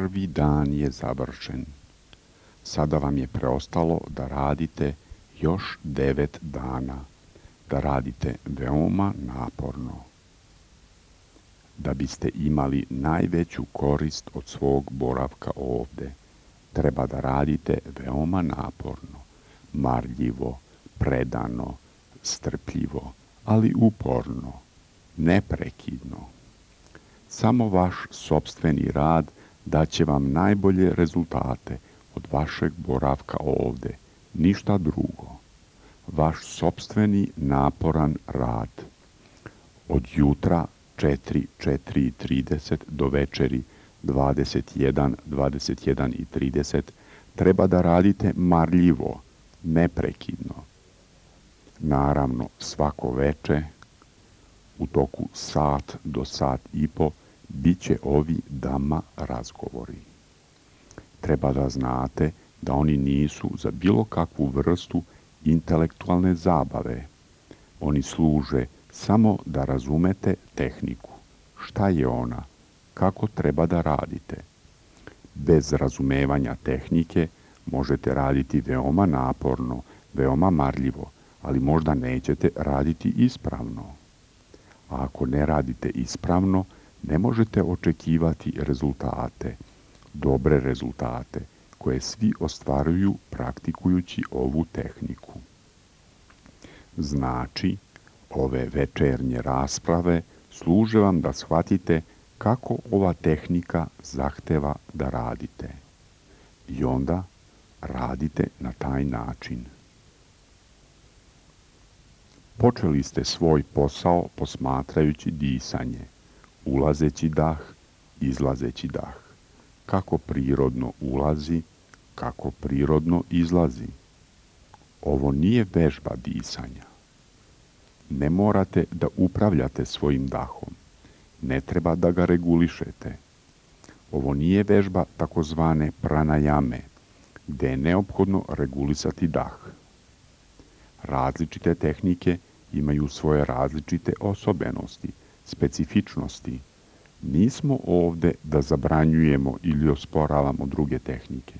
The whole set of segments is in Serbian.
Prvi dan je završen. Sada vam je preostalo da radite još 9 dana, da radite veoma naporno. Da biste imali najveću korist od svog boravka ovde, treba da radite veoma naporno, marljivo, predano, strpljivo, ali uporno, neprekidno. Samo vaš sopstveni rad daće vam najbolje rezultate od vašeg boravka ovde, ništa drugo. Vaš sopstveni naporan rad. Od jutra 4:30 do večeri 21:30 treba da radite marljivo, neprekidno. Naravno, svako veče, u toku sat do sat i po, bit će ovi dama razgovori. Treba da znate da oni nisu za bilo kakvu vrstu intelektualne zabave. Oni služe samo da razumete tehniku. Šta je ona? Kako treba da radite? Bez razumevanja tehnike možete raditi veoma naporno, veoma marljivo, ali možda nećete raditi ispravno. A ako ne radite ispravno, ne možete očekivati rezultate, dobre rezultate, koje svi ostvaruju praktikujući ovu tehniku. Znači, ove večernje rasprave služe vam da shvatite kako ova tehnika zahteva da radite. I onda radite na taj način. Počeli ste svoj posao posmatrajući disanje, ulazeći dah, izlazeći dah. Kako prirodno ulazi, kako prirodno izlazi. Ovo nije vežba disanja. Ne morate da upravljate svojim dahom. Ne treba da ga regulišete. Ovo nije vežba takozvane pranajame, gde je neophodno regulisati dah. Različite tehnike imaju svoje različite osobenosti, specifičnosti. Nismo ovde da zabranjujemo ili osporavamo druge tehnike,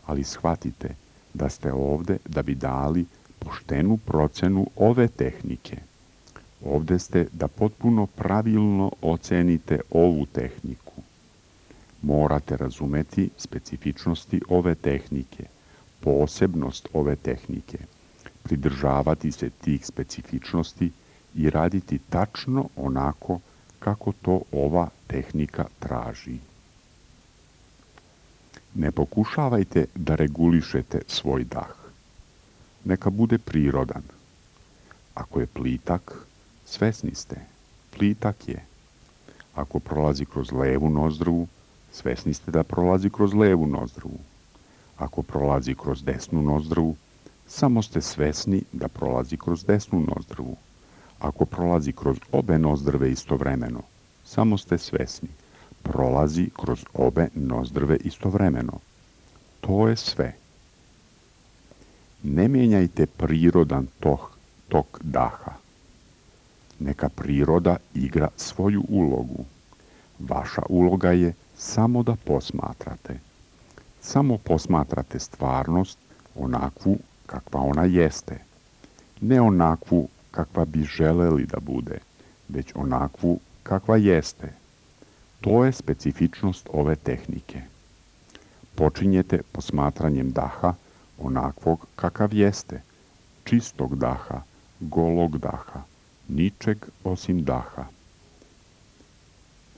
ali shvatite da ste ovde da bi dali poštenu procenu ove tehnike. Ovde ste da potpuno pravilno ocenite ovu tehniku. Morate razumeti specifičnosti ove tehnike, posebnost ove tehnike, pridržavati se tih specifičnosti i raditi tačno onako kako to ova tehnika traži. Ne pokušavajte da regulišete svoj dah. Neka bude prirodan. Ako je plitak, svesni ste, plitak je. Ako prolazi kroz levu nozdrvu, svesni ste da prolazi kroz levu nozdrvu. Ako prolazi kroz desnu nozdrvu, samo ste svesni da prolazi kroz desnu nozdrvu. Ako prolazi kroz obe nozdrve istovremeno, samo ste svesni. Prolazi kroz obe nozdrve istovremeno. To je sve. Ne mijenjajte prirodan tok daha. Neka priroda igra svoju ulogu. Vaša uloga je samo da posmatrate. Samo posmatrate stvarnost onakvu kakva ona jeste. Ne onakvu kakva bi želeli da bude, već onakvu kakva jeste. To je specifičnost ove tehnike. Počinjete posmatranjem daha onakvog kakav jeste, čistog daha, golog daha, ničeg osim daha.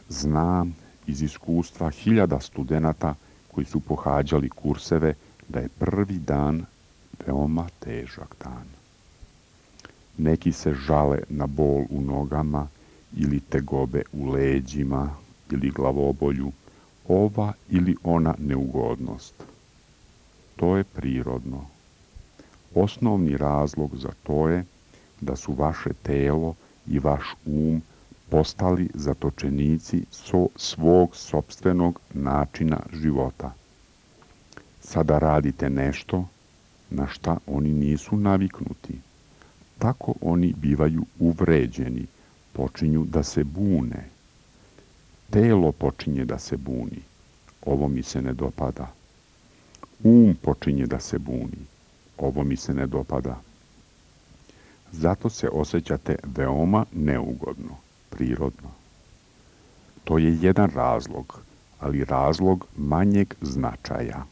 Znam iz iskustva 1000 studenata koji su pohađali kurseve da je prvi dan veoma težak dan. Neki se žale na bol u nogama ili tegobe u leđima ili glavobolju, ova ili ona neugodnost. To je prirodno. Osnovni razlog za to je da su vaše telo i vaš postali zatočenici svog sopstvenog načina života. Sada radite nešto na šta oni nisu naviknuti. Tako oni bivaju uvređeni, počinju da se bune. Telo počinje da se buni. ovo mi se ne dopada. Počinje da se buni, ovo mi se ne dopada. Zato se osjećate veoma neugodno, prirodno. To je jedan razlog, ali razlog manjeg značaja.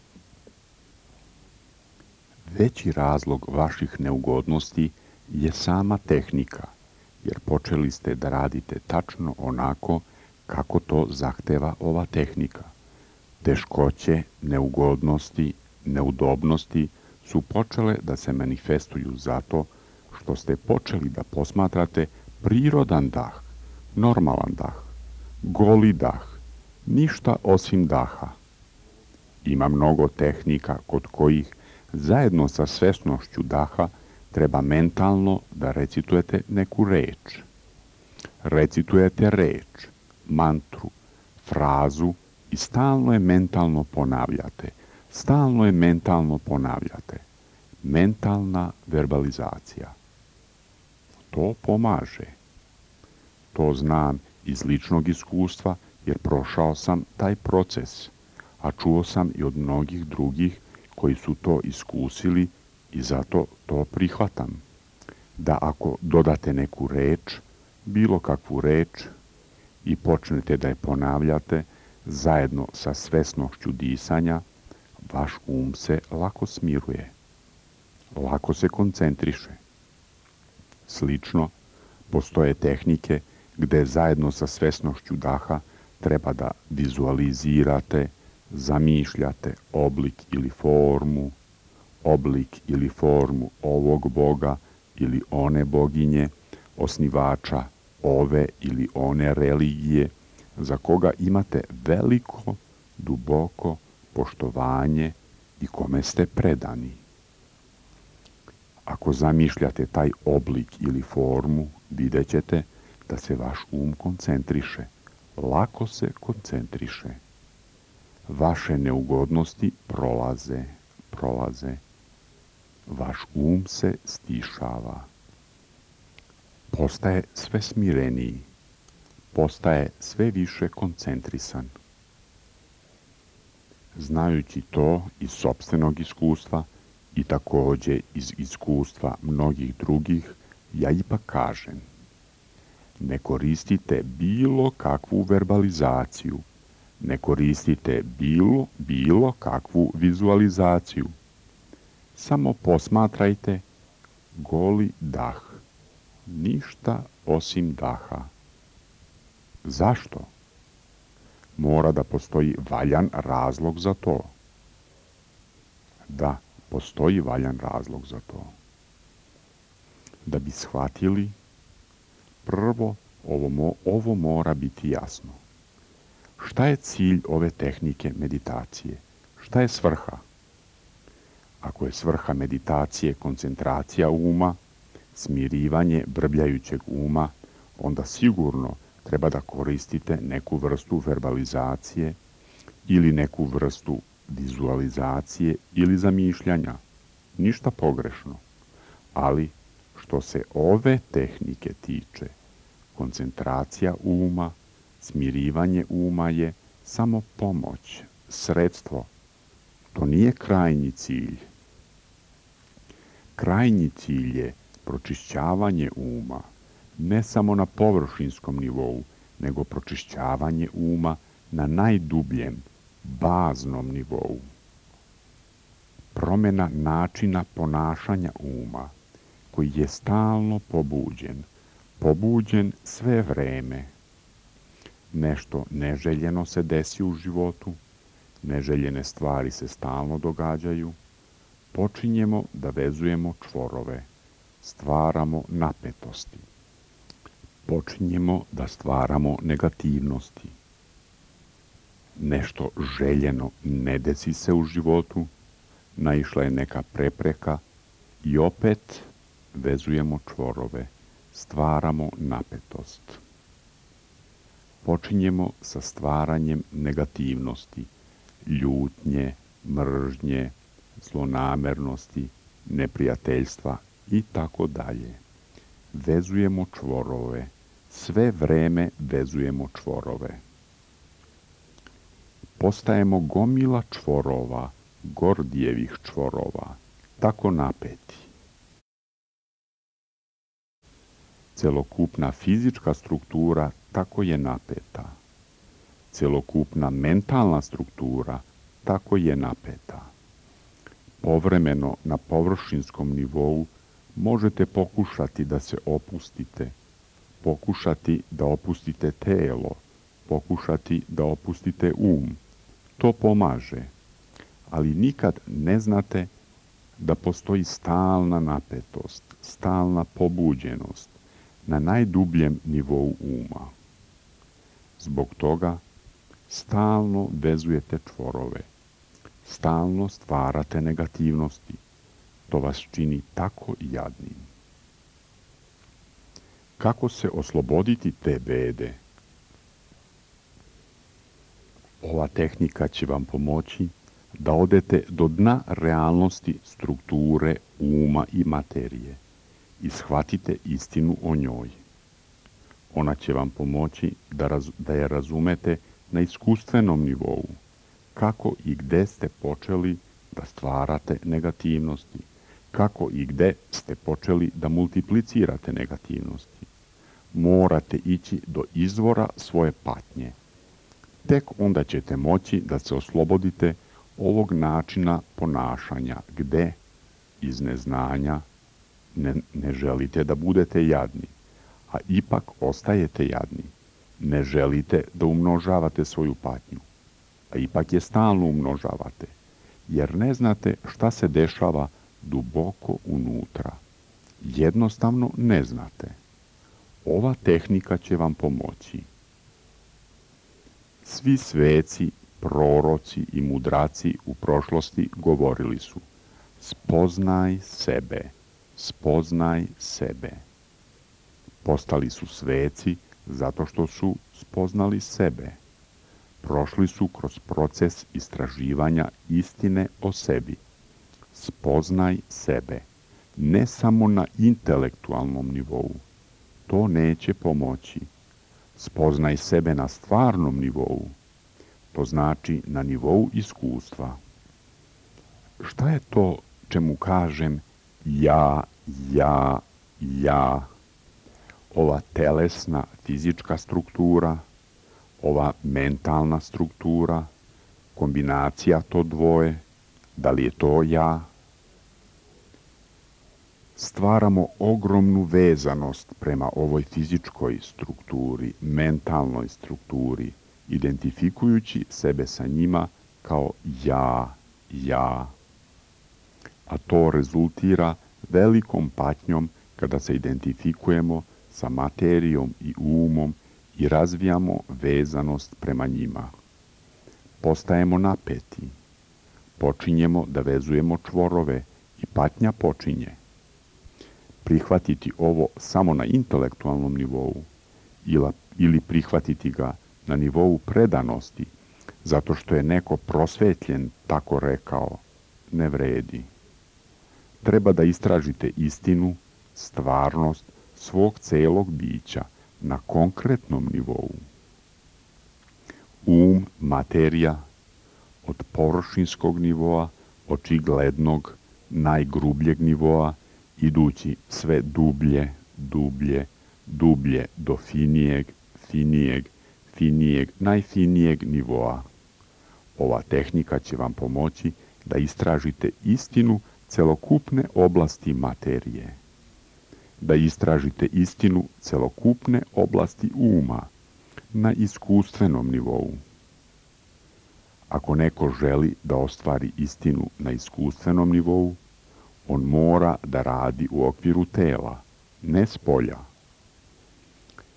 Veći razlog vaših neugodnosti je sama tehnika, jer počeli ste da radite tačno onako kako to zahteva ova tehnika. Teškoće, neugodnosti, neudobnosti su počele da se manifestuju zato što ste počeli da posmatrate prirodan dah, normalan dah, goli dah, ništa osim daha. Ima mnogo tehnika kod kojih zajedno sa svesnošću daha treba mentalno da recitujete neku reč. Recitujete reč, mantru, frazu i stalno je mentalno ponavljate. Stalno je mentalno ponavljate. Mentalna verbalizacija. To pomaže. To znam iz ličnog iskustva jer prošao sam taj proces, a čuo sam i od mnogih drugih koji su to iskusili i zato to prihvatam. Da ako dodate neku reč, bilo kakvu reč, i počnete da je ponavljate zajedno sa svesnošću disanja, vaš se lako smiruje, lako se koncentriše. Slično, postoje tehnike gde zajedno sa svesnošću daha treba da vizualizirate, zamišljate oblik ili formu ovog boga ili one boginje, osnivača ove ili one religije, za koga imate veliko, duboko poštovanje i kome ste predani. Ako zamišljate taj oblik ili formu, vidjet ćete da se vaš koncentriše, lako se koncentriše. Vaše neugodnosti prolaze. Vaš se stišava. Postaje sve smireniji. Postaje sve više koncentrisan. Znajući to iz sopstvenog iskustva i takođe iz iskustva mnogih drugih, ja ipak kažem, ne koristite bilo kakvu verbalizaciju, ne koristite bilo kakvu vizualizaciju. Samo posmatrajte goli dah, ništa osim daha. Zašto? Mora da postoji valjan razlog za to. Da, postoji valjan razlog za to. Da bi shvatili, prvo ovo mora biti jasno. Šta je cilj ove tehnike meditacije? Šta je svrha? Ako je svrha meditacije koncentracija uma, smirivanje brbljajućeg uma, onda sigurno treba da koristite neku vrstu verbalizacije ili neku vrstu vizualizacije ili zamišljanja. Ništa pogrešno. Ali, što se ove tehnike tiče, koncentracija uma, smirivanje uma je samo pomoć, sredstvo. To nije krajnji cilj. Krajnji cilj je pročišćavanje uma, ne samo na površinskom nivou, nego pročišćavanje uma na najdubljem, baznom nivou. Promjena načina ponašanja uma, koji je stalno pobuđen sve vreme. Nešto neželjeno se desi u životu, neželjene stvari se stalno događaju, počinjemo da vezujemo čvorove, stvaramo napetosti. Počinjemo da stvaramo negativnosti. Nešto željeno ne desi se u životu, naišla je neka prepreka i opet vezujemo čvorove, stvaramo napetost. Počinjemo sa stvaranjem negativnosti, ljutnje, mržnje, zlonamernosti, neprijateljstva i tako dalje. Vezujemo čvorove, sve vreme vezujemo čvorove. postajemo gomila čvorova, Gordijevih čvorova, tako napeti. Celokupna fizička struktura tako je napeta. Celokupna mentalna struktura tako je napeta. Povremeno na površinskom nivou možete pokušati da se opustite, pokušati da opustite telo, pokušati da opustite To pomaže, ali nikad ne znate da postoji stalna napetost, stalna pobuđenost na najdubljem nivou uma. Zbog toga stalno vezujete čvorove, stalno stvarate negativnosti. To vas čini tako jadnim. Kako se osloboditi te bede? Ova tehnika će vam pomoći da odete do dna realnosti strukture uma i materije i shvatite istinu o njoj. Ona će vam pomoći da je razumete na iskustvenom nivou, kako i gde ste počeli da stvarate negativnosti, kako i gde ste počeli da multiplicirate negativnosti. Morate ići do izvora svoje patnje. Tek onda ćete moći da se oslobodite ovog načina ponašanja gde iz neznanja ne želite da budete jadni, a ipak ostajete jadni. Ne želite da umnožavate svoju patnju, a ipak je stalno umnožavate, jer ne znate šta se dešava duboko unutra. Jednostavno ne znate. Ova tehnika će vam pomoći. Svi sveci, proroci i mudraci u prošlosti govorili su: spoznaj sebe, spoznaj sebe. Postali su sveci zato što su spoznali sebe. Prošli su kroz proces istraživanja istine o sebi. Spoznaj sebe, ne samo na intelektualnom nivou. To neće pomoći. Spoznaj sebe na stvarnom nivou. To znači na nivou iskustva. Šta je to čemu kažem ja? Ova telesna fizička struktura, ova mentalna struktura, kombinacija to dvoje, da li je to ja? Stvaramo ogromnu vezanost prema ovoj fizičkoj strukturi, mentalnoj strukturi, identifikujući sebe sa njima kao ja. A to rezultira velikom patnjom kada se identifikujemo sa materijom i umom i razvijamo vezanost prema njima. Postajemo napeti. Počinjemo da vezujemo čvorove i patnja počinje. Prihvatiti ovo samo na intelektualnom nivou ili prihvatiti ga na nivou predanosti, zato što je neko prosvetljen tako rekao, ne vredi. Treba da istražite istinu, stvarnost svog celog bića na konkretnom nivou. Materija, od površinskog nivoa, očiglednog, najgrubljeg nivoa, idući sve dublje do finijeg, najfinijeg nivoa. Ova tehnika će vam pomoći da istražite istinu celokupne oblasti materije, da istražite istinu celokupne oblasti uma na iskustvenom nivou. Ako neko želi da ostvari istinu na iskustvenom nivou, on mora da radi u okviru tela, ne spolja.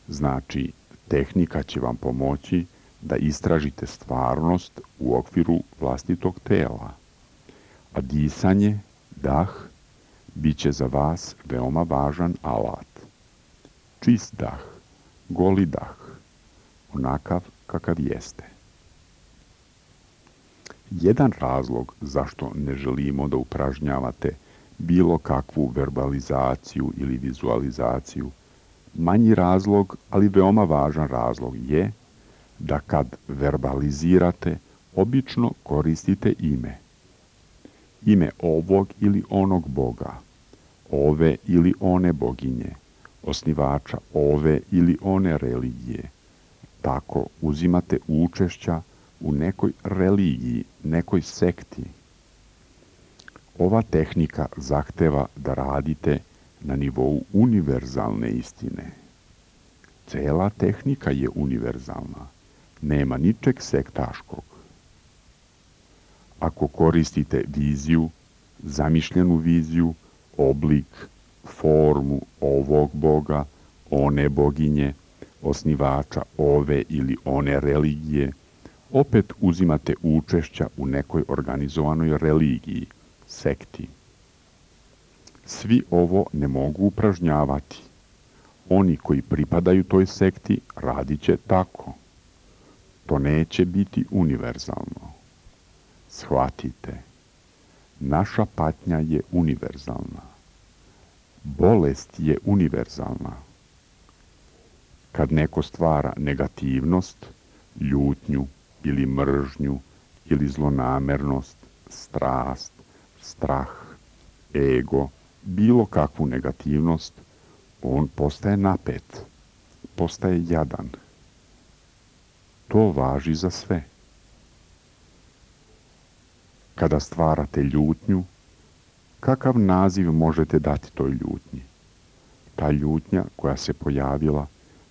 Znači, tehnika će vam pomoći da istražite stvarnost u okviru vlastitog tela, a disanje, dah, bit će za vas veoma važan alat. Čist dah, goli dah, onakav kakav jeste. Jedan razlog zašto ne želimo da upražnjavate bilo kakvu verbalizaciju ili vizualizaciju, manji razlog, ali veoma važan razlog je da kad verbalizirate, obično koristite ime. Ime ovog ili onog boga, ove ili one boginje, osnivača ove ili one religije. Tako uzimate učešća u nekoj religiji, nekoj sekti. Ova tehnika zahteva da radite na nivou univerzalne istine. Cela tehnika je univerzalna, nema ničeg sektaškog. Ako koristite viziju, zamišljenu viziju, oblik, formu ovog boga, one boginje, osnivača ove ili one religije, opet uzimate učešća u nekoj organizovanoj religiji, sekti. Svi ovo ne mogu upražnjavati. Oni koji pripadaju toj sekti radit će tako. To neće biti univerzalno. Shvatite, naša patnja je univerzalna. Bolest je univerzalna. Kad neko stvara negativnost, ljutnju ili mržnju ili zlonamernost, strast, strah, ego, bilo kakvu negativnost, on postaje napet, postaje jadan. To važi za sve. Kada stvarate ljutnju, kakav naziv možete dati toj ljutnji? Ta ljutnja koja se pojavila,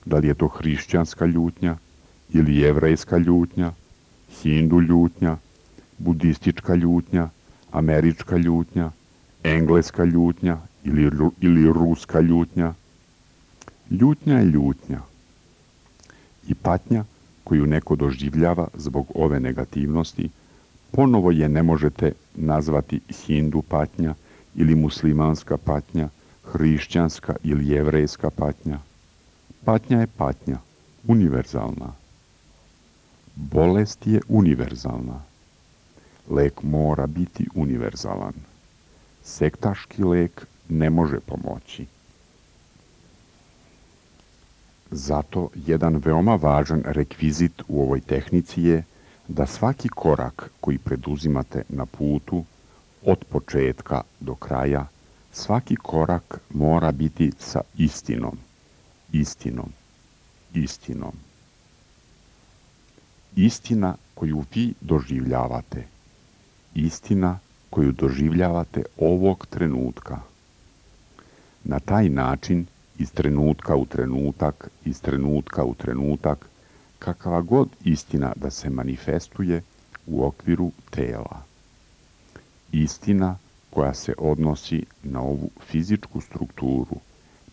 da li je to hrišćanska ljutnja ili jevrejska ljutnja, hindu ljutnja, budistička ljutnja, američka ljutnja, engleska ljutnja ili ruska ljutnja. Ljutnja je ljutnja. I patnja koju neko doživljava zbog ove negativnosti, ponovo je ne možete nazvati hindu patnja ili muslimanska patnja, hrišćanska ili jevrejska patnja. Patnja je patnja, univerzalna. Bolest je univerzalna. Lek mora biti univerzalan. Sektaški lek ne može pomoći. Zato jedan veoma važan rekvizit u ovoj tehnici je da svaki korak koji preduzimate na putu, od početka do kraja, svaki korak mora biti sa istinom, istinom, istinom. Istina koju vi doživljavate, istina koju doživljavate ovog trenutka. Na taj način, iz trenutka u trenutak, iz trenutka u trenutak, kakva god istina da se manifestuje u okviru tela. Istina koja se odnosi na ovu fizičku strukturu,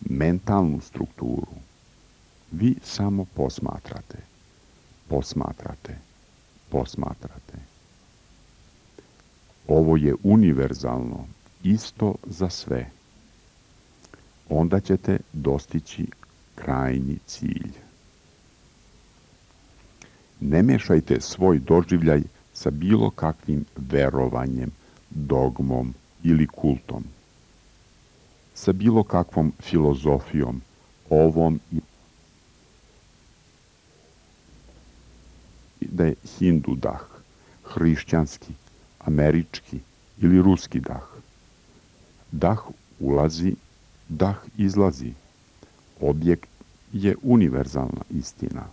mentalnu strukturu. Vi samo posmatrate, posmatrate, posmatrate. Ovo je univerzalno, isto za sve. Onda ćete dostići krajnji cilj. Ne mešajte svoj doživljaj sa bilo kakvim verovanjem, dogmom ili kultom. Sa bilo kakvom filozofijom, ovom i da je hindu dah, hrišćanski, američki ili ruski dah. Dah ulazi, dah izlazi. Objekt je univerzalna istina.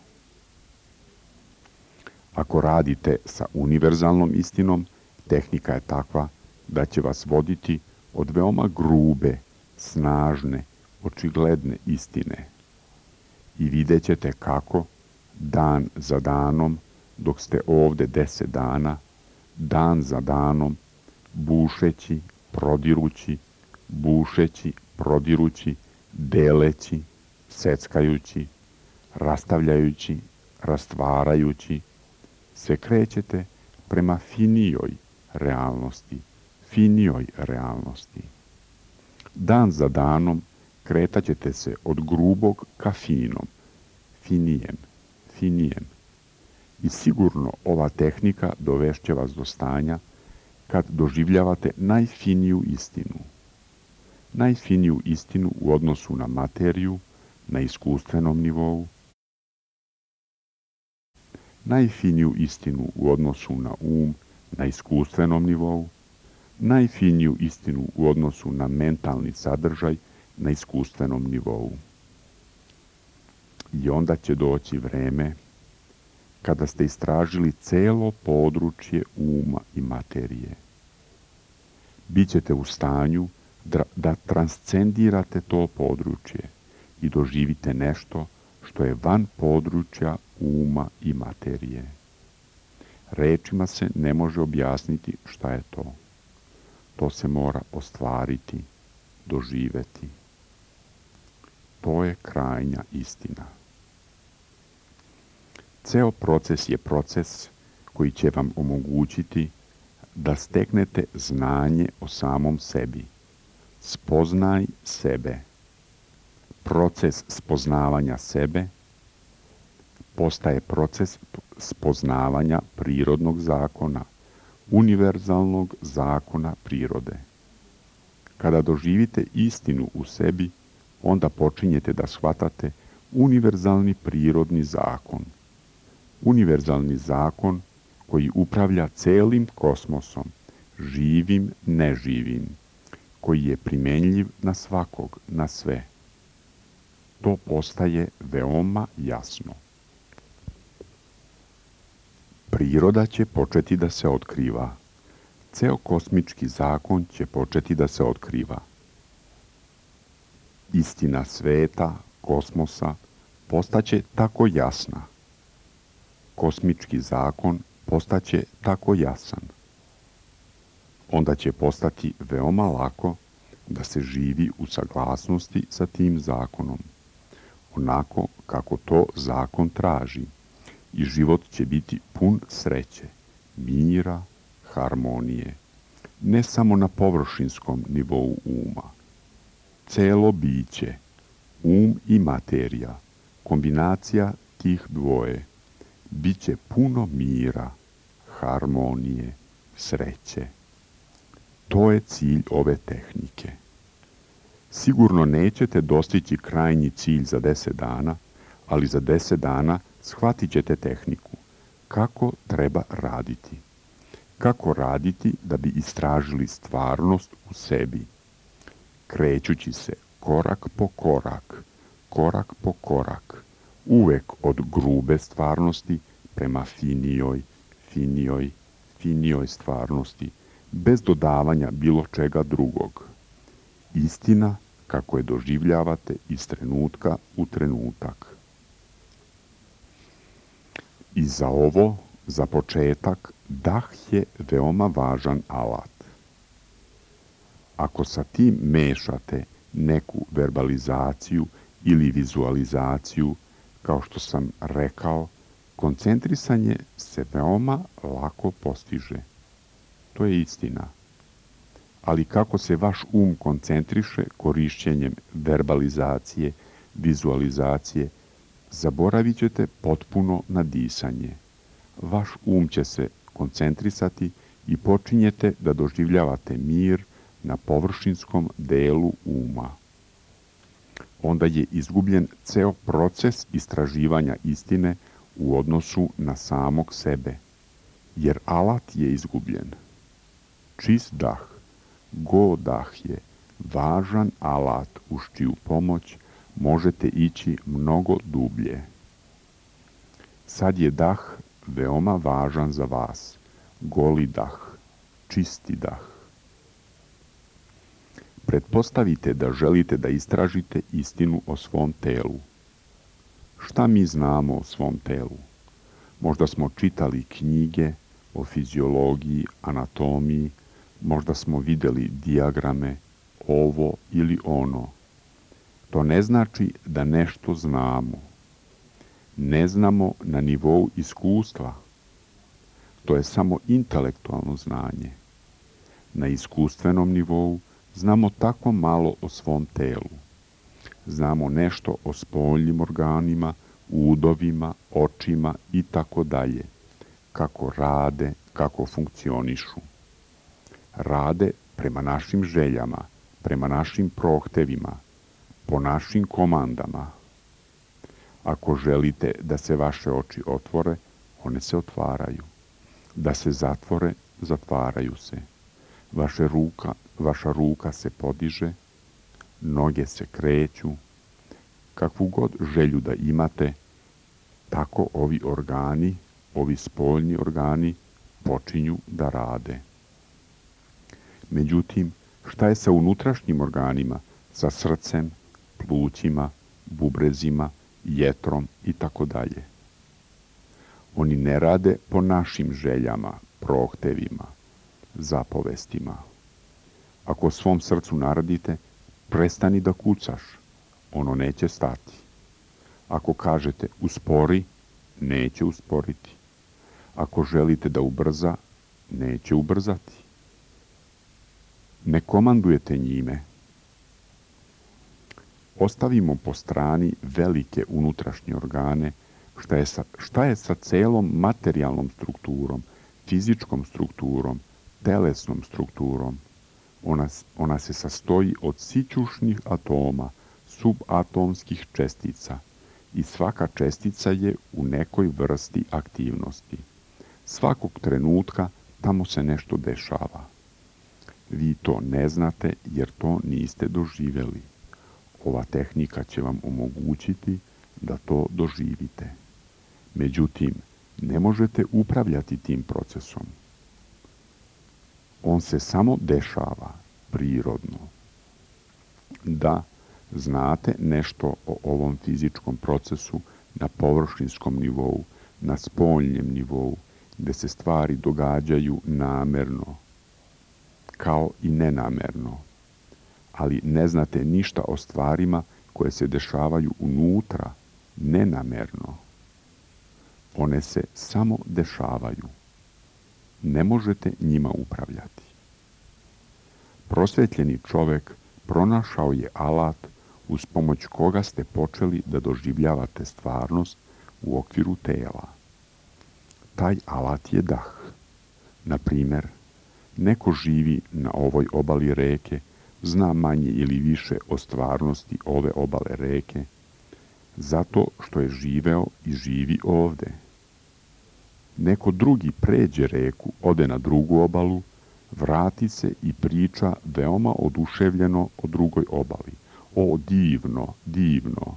Ako radite sa univerzalnom istinom, tehnika je takva da će vas voditi od veoma grube, snažne, očigledne istine. I vidjet ćete kako, dan za danom, dok ste ovde 10 dana, dan za danom, bušeći, prodirući, bušeći, prodirući, deleći, seckajući, rastavljajući, rastvarajući, se krećete prema finijoj realnosti. Dan za danom kretat ćete se od grubog ka finom, finijem. I sigurno ova tehnika dovešće vas do stanja kad doživljavate najfiniju istinu u odnosu na materiju, na iskustvenom nivou. najfiniju istinu u odnosu na na iskustvenom nivou, najfiniju istinu u odnosu na mentalni sadržaj na iskustvenom nivou. I onda će doći vreme kada ste istražili celo područje uma i materije. Bićete u stanju da transcendirate to područje i doživite nešto što je van područja uma i materije. Rečima se ne može objasniti šta je to. To se mora ostvariti, doživeti. To je krajnja istina. Ceo proces je proces koji će vam omogućiti da steknete znanje o samom sebi. Spoznaj sebe. Proces spoznavanja sebe postaje proces spoznavanja prirodnog zakona, univerzalnog zakona prirode. Kada doživite istinu u sebi, onda počinjete da shvatate univerzalni prirodni zakon. Univerzalni zakon koji upravlja celim kosmosom, živim, neživim, koji je primenljiv na svakog, na sve. To postaje veoma jasno. Priroda će početi da se otkriva. Ceo kosmički zakon će početi da se otkriva. Istina sveta, kosmosa, postaće tako jasna. Kosmički zakon postaće tako jasan. Onda će postati veoma lako da se živi u saglasnosti sa tim zakonom, onako kako to zakon traži, i život će biti pun sreće, mira, harmonije, ne samo na površinskom nivou uma. Celo biće, i materija, kombinacija tih dvoje, bit će puno mira, harmonije, sreće. To je cilj ove tehnike. Sigurno nećete dostići krajnji cilj za 10 dana, ali za 10 dana shvatit ćete tehniku. Kako treba raditi? Kako raditi da bi istražili stvarnost u sebi? Krećući se korak po korak, uvek od grube stvarnosti prema finijoj stvarnosti, bez dodavanja bilo čega drugog. Istina kako je doživljavate iz trenutka u trenutak. I za ovo, za početak, dah je veoma važan alat. Ako sa tim mešate neku verbalizaciju ili vizualizaciju, kao što sam rekao, koncentrisanje se veoma lako postiže. To je istina. Ali kako se vaš koncentriše korišćenjem verbalizacije, vizualizacije, zaboravit ćete potpuno na disanje. Vaš će se koncentrisati i počinjete da doživljavate mir na površinskom delu uma. Onda je izgubljen ceo proces istraživanja istine u odnosu na samog sebe, jer alat je izgubljen. Čist dah, go dah je važan alat uz čiju pomoć možete ići mnogo dublje. Sad je dah veoma važan za vas, goli dah, čisti dah. Pretpostavite da želite da istražite istinu o svom telu. Šta mi znamo o svom telu? Možda smo čitali knjige o fiziologiji, anatomiji, možda smo videli dijagrame, ovo ili ono. To ne znači da nešto znamo. Ne znamo na nivou iskustva. To je samo intelektualno znanje. Na iskustvenom nivou znamo tako malo o svom telu. Znamo nešto o spoljnim organima, udovima, očima i tako dalje. Kako rade, kako funkcionišu. Rade prema našim željama, prema našim prohtevima, po našim komandama. Ako želite da se vaše oči otvore, one se otvaraju. Da se zatvore, zatvaraju se. Vaša ruka se podiže, noge se kreću. Kakvu god želju da imate, tako ovi organi, ovi spoljni organi, počinju da rade. Međutim, šta je sa unutrašnjim organima, sa srcem, plućima, bubrezima, jetrom i tako dalje? Oni ne rade po našim željama, prohtevima, zapovestima. Ako svom srcu naradite, prestani da kucaš, ono neće stati. Ako kažete uspori, neće usporiti. Ako želite da ubrza, neće ubrzati. Ne komandujete njime. Ostavimo po strani velike unutrašnje organe. Šta je sa celom materijalnom strukturom, fizičkom strukturom, telesnom strukturom? Ona se sastoji od sićušnih atoma, subatomskih čestica i svaka čestica je u nekoj vrsti aktivnosti. Svakog trenutka tamo se nešto dešava. Vi to ne znate jer to niste doživjeli. Ova tehnika će vam omogućiti da to doživite. Međutim, ne možete upravljati tim procesom. On se samo dešava prirodno. Da znate nešto o ovom fizičkom procesu na površinskom nivou, na spoljnjem nivou, gde se stvari događaju namerno, kao i nenamerno, ali ne znate ništa o stvarima koje se dešavaju unutra, nenamerno. One se samo dešavaju. Ne možete njima upravljati. Prosvetljeni čovek pronašao je alat uz pomoć koga ste počeli da doživljavate stvarnost u okviru tela. Taj alat je dah. Na primer, neko živi na ovoj obali reke, zna manje ili više o stvarnosti ove obale reke, zato što je živeo i živi ovde. Neko drugi pređe reku, ode na drugu obalu, vrati se i priča veoma oduševljeno o drugoj obali. O, divno, divno!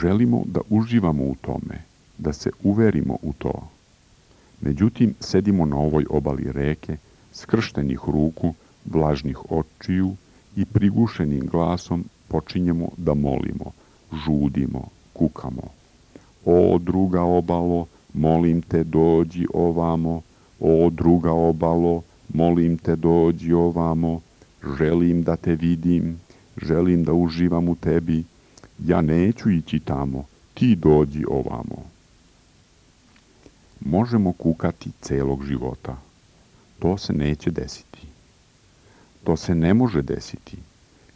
Želimo da uživamo u tome, da se uverimo u to. Međutim, sedimo na ovoj obali reke, skrštenih ruku, vlažnih očiju i prigušenim glasom počinjemo da molimo, žudimo, kukamo. O, druga obalo, molim te dođi ovamo, o, druga obalo, molim te dođi ovamo, želim da te vidim, želim da uživam u tebi, ja neću ići tamo, ti dođi ovamo. Možemo kukati celog života. To se neće desiti. To se ne može desiti.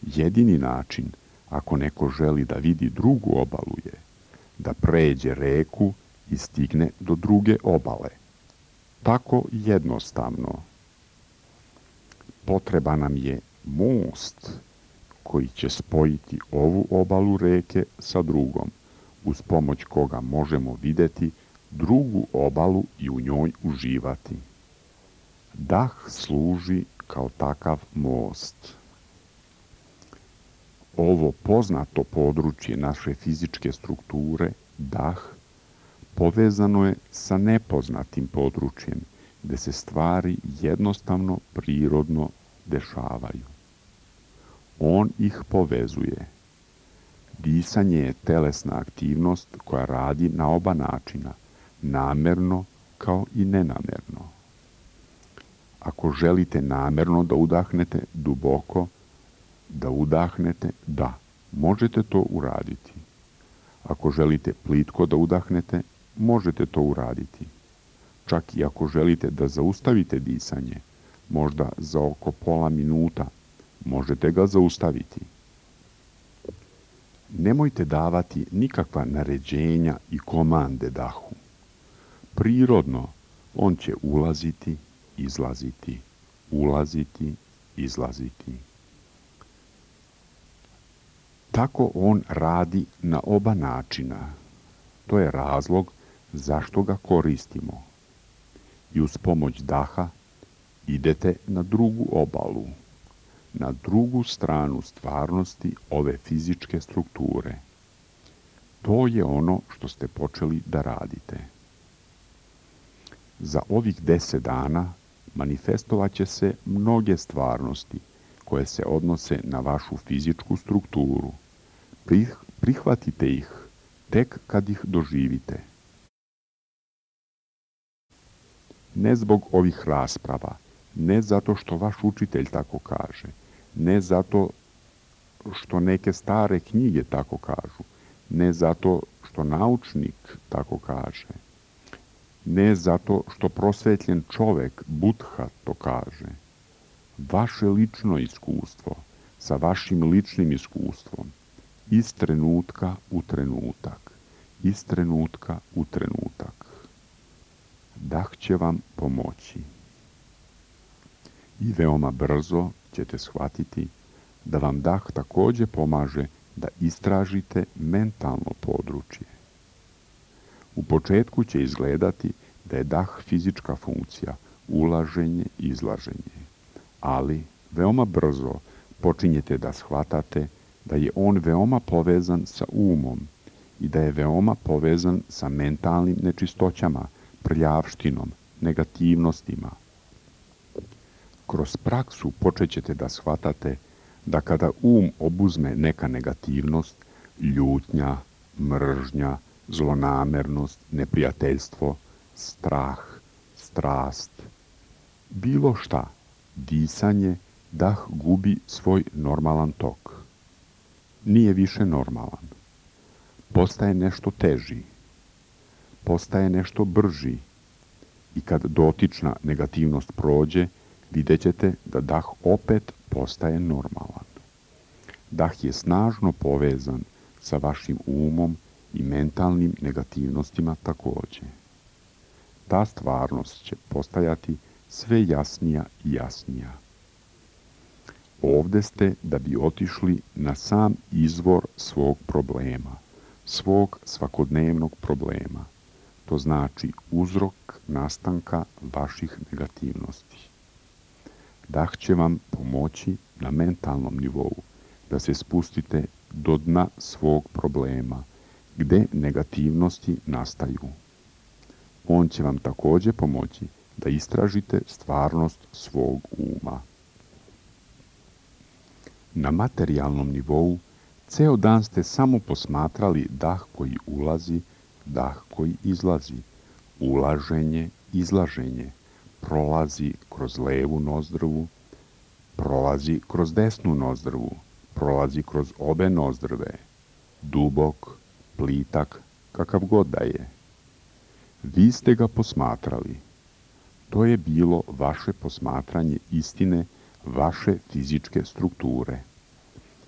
Jedini način, ako neko želi da vidi drugu obalu je, da pređe reku i stigne do druge obale. Tako jednostavno. Potreba nam je most koji će spojiti ovu obalu reke sa drugom, uz pomoć koga možemo videti drugu obalu i u njoj uživati. Dah služi kao takav most. Ovo poznato područje naše fizičke strukture, dah, povezano je sa nepoznatim područjem, gde se stvari jednostavno prirodno dešavaju. On ih povezuje. Disanje je telesna aktivnost koja radi na oba načina, namerno kao i nenamerno. Ako želite namerno da udahnete duboko, da udahnete, da, možete to uraditi. Ako želite plitko da udahnete, možete to uraditi. Čak i ako želite da zaustavite disanje, možda za oko pola minuta, možete ga zaustaviti. Nemojte davati nikakva naređenja i komande dahu. Prirodno, on će ulaziti, izlaziti, ulaziti, izlaziti. Tako on radi na oba načina. To je razlog zašto ga koristimo. I uz pomoć daha idete na drugu obalu, na drugu stranu stvarnosti ove fizičke strukture. To je ono što ste počeli da radite. Za ovih 10 dana manifestovaće se mnoge stvarnosti koje se odnose na vašu fizičku strukturu. Prihvatite ih tek kad ih doživite. Ne zbog ovih rasprava, ne zato što vaš učitelj tako kaže, ne zato što neke stare knjige tako kažu, ne zato što naučnik tako kaže, ne zato što prosvetljen čovek, Buddha, to kaže. Vaše lično iskustvo sa vašim ličnim iskustvom, iz trenutka u trenutak, iz trenutka u trenutak. Dah će vam pomoći. I veoma brzo ćete shvatiti da vam dah takođe pomaže da istražite mentalno područje. U početku će izgledati da je dah fizička funkcija, ulaženje i izlaženje, ali veoma brzo počinjete da shvatate da je on veoma povezan sa umom i da je veoma povezan sa mentalnim nečistoćama, prljavštinom, negativnostima. Kroz praksu počećete da shvatate da kada obuzme neka negativnost, ljutnja, mržnja, zlonamernost, neprijateljstvo, strah, strast, bilo šta, disanje, dah gubi svoj normalan tok. Nije više normalan. Postaje nešto teži. Postaje nešto brži. I kad dotična negativnost prođe, vidjet ćete da dah opet postaje normalan. Dah je snažno povezan sa vašim umom i mentalnim negativnostima takođe. Ta stvarnost će postajati sve jasnija i jasnija. Ovde ste da bi otišli na sam izvor svog problema, svog svakodnevnog problema. To znači uzrok nastanka vaših negativnosti. Dah će vam pomoći na mentalnom nivou da se spustite do dna svog problema, gde negativnosti nastaju. On će vam takođe pomoći da istražite stvarnost svog uma. Na materijalnom nivou ceo dan ste samo posmatrali dah koji ulazi, dah koji izlazi, ulaženje, izlaženje, prolazi kroz levu nozdrvu, prolazi kroz desnu nozdrvu, prolazi kroz obe nozdrve, dubok, plitak, kakav god da je. Vi ste ga posmatrali. To je bilo vaše posmatranje istine, vaše fizičke strukture.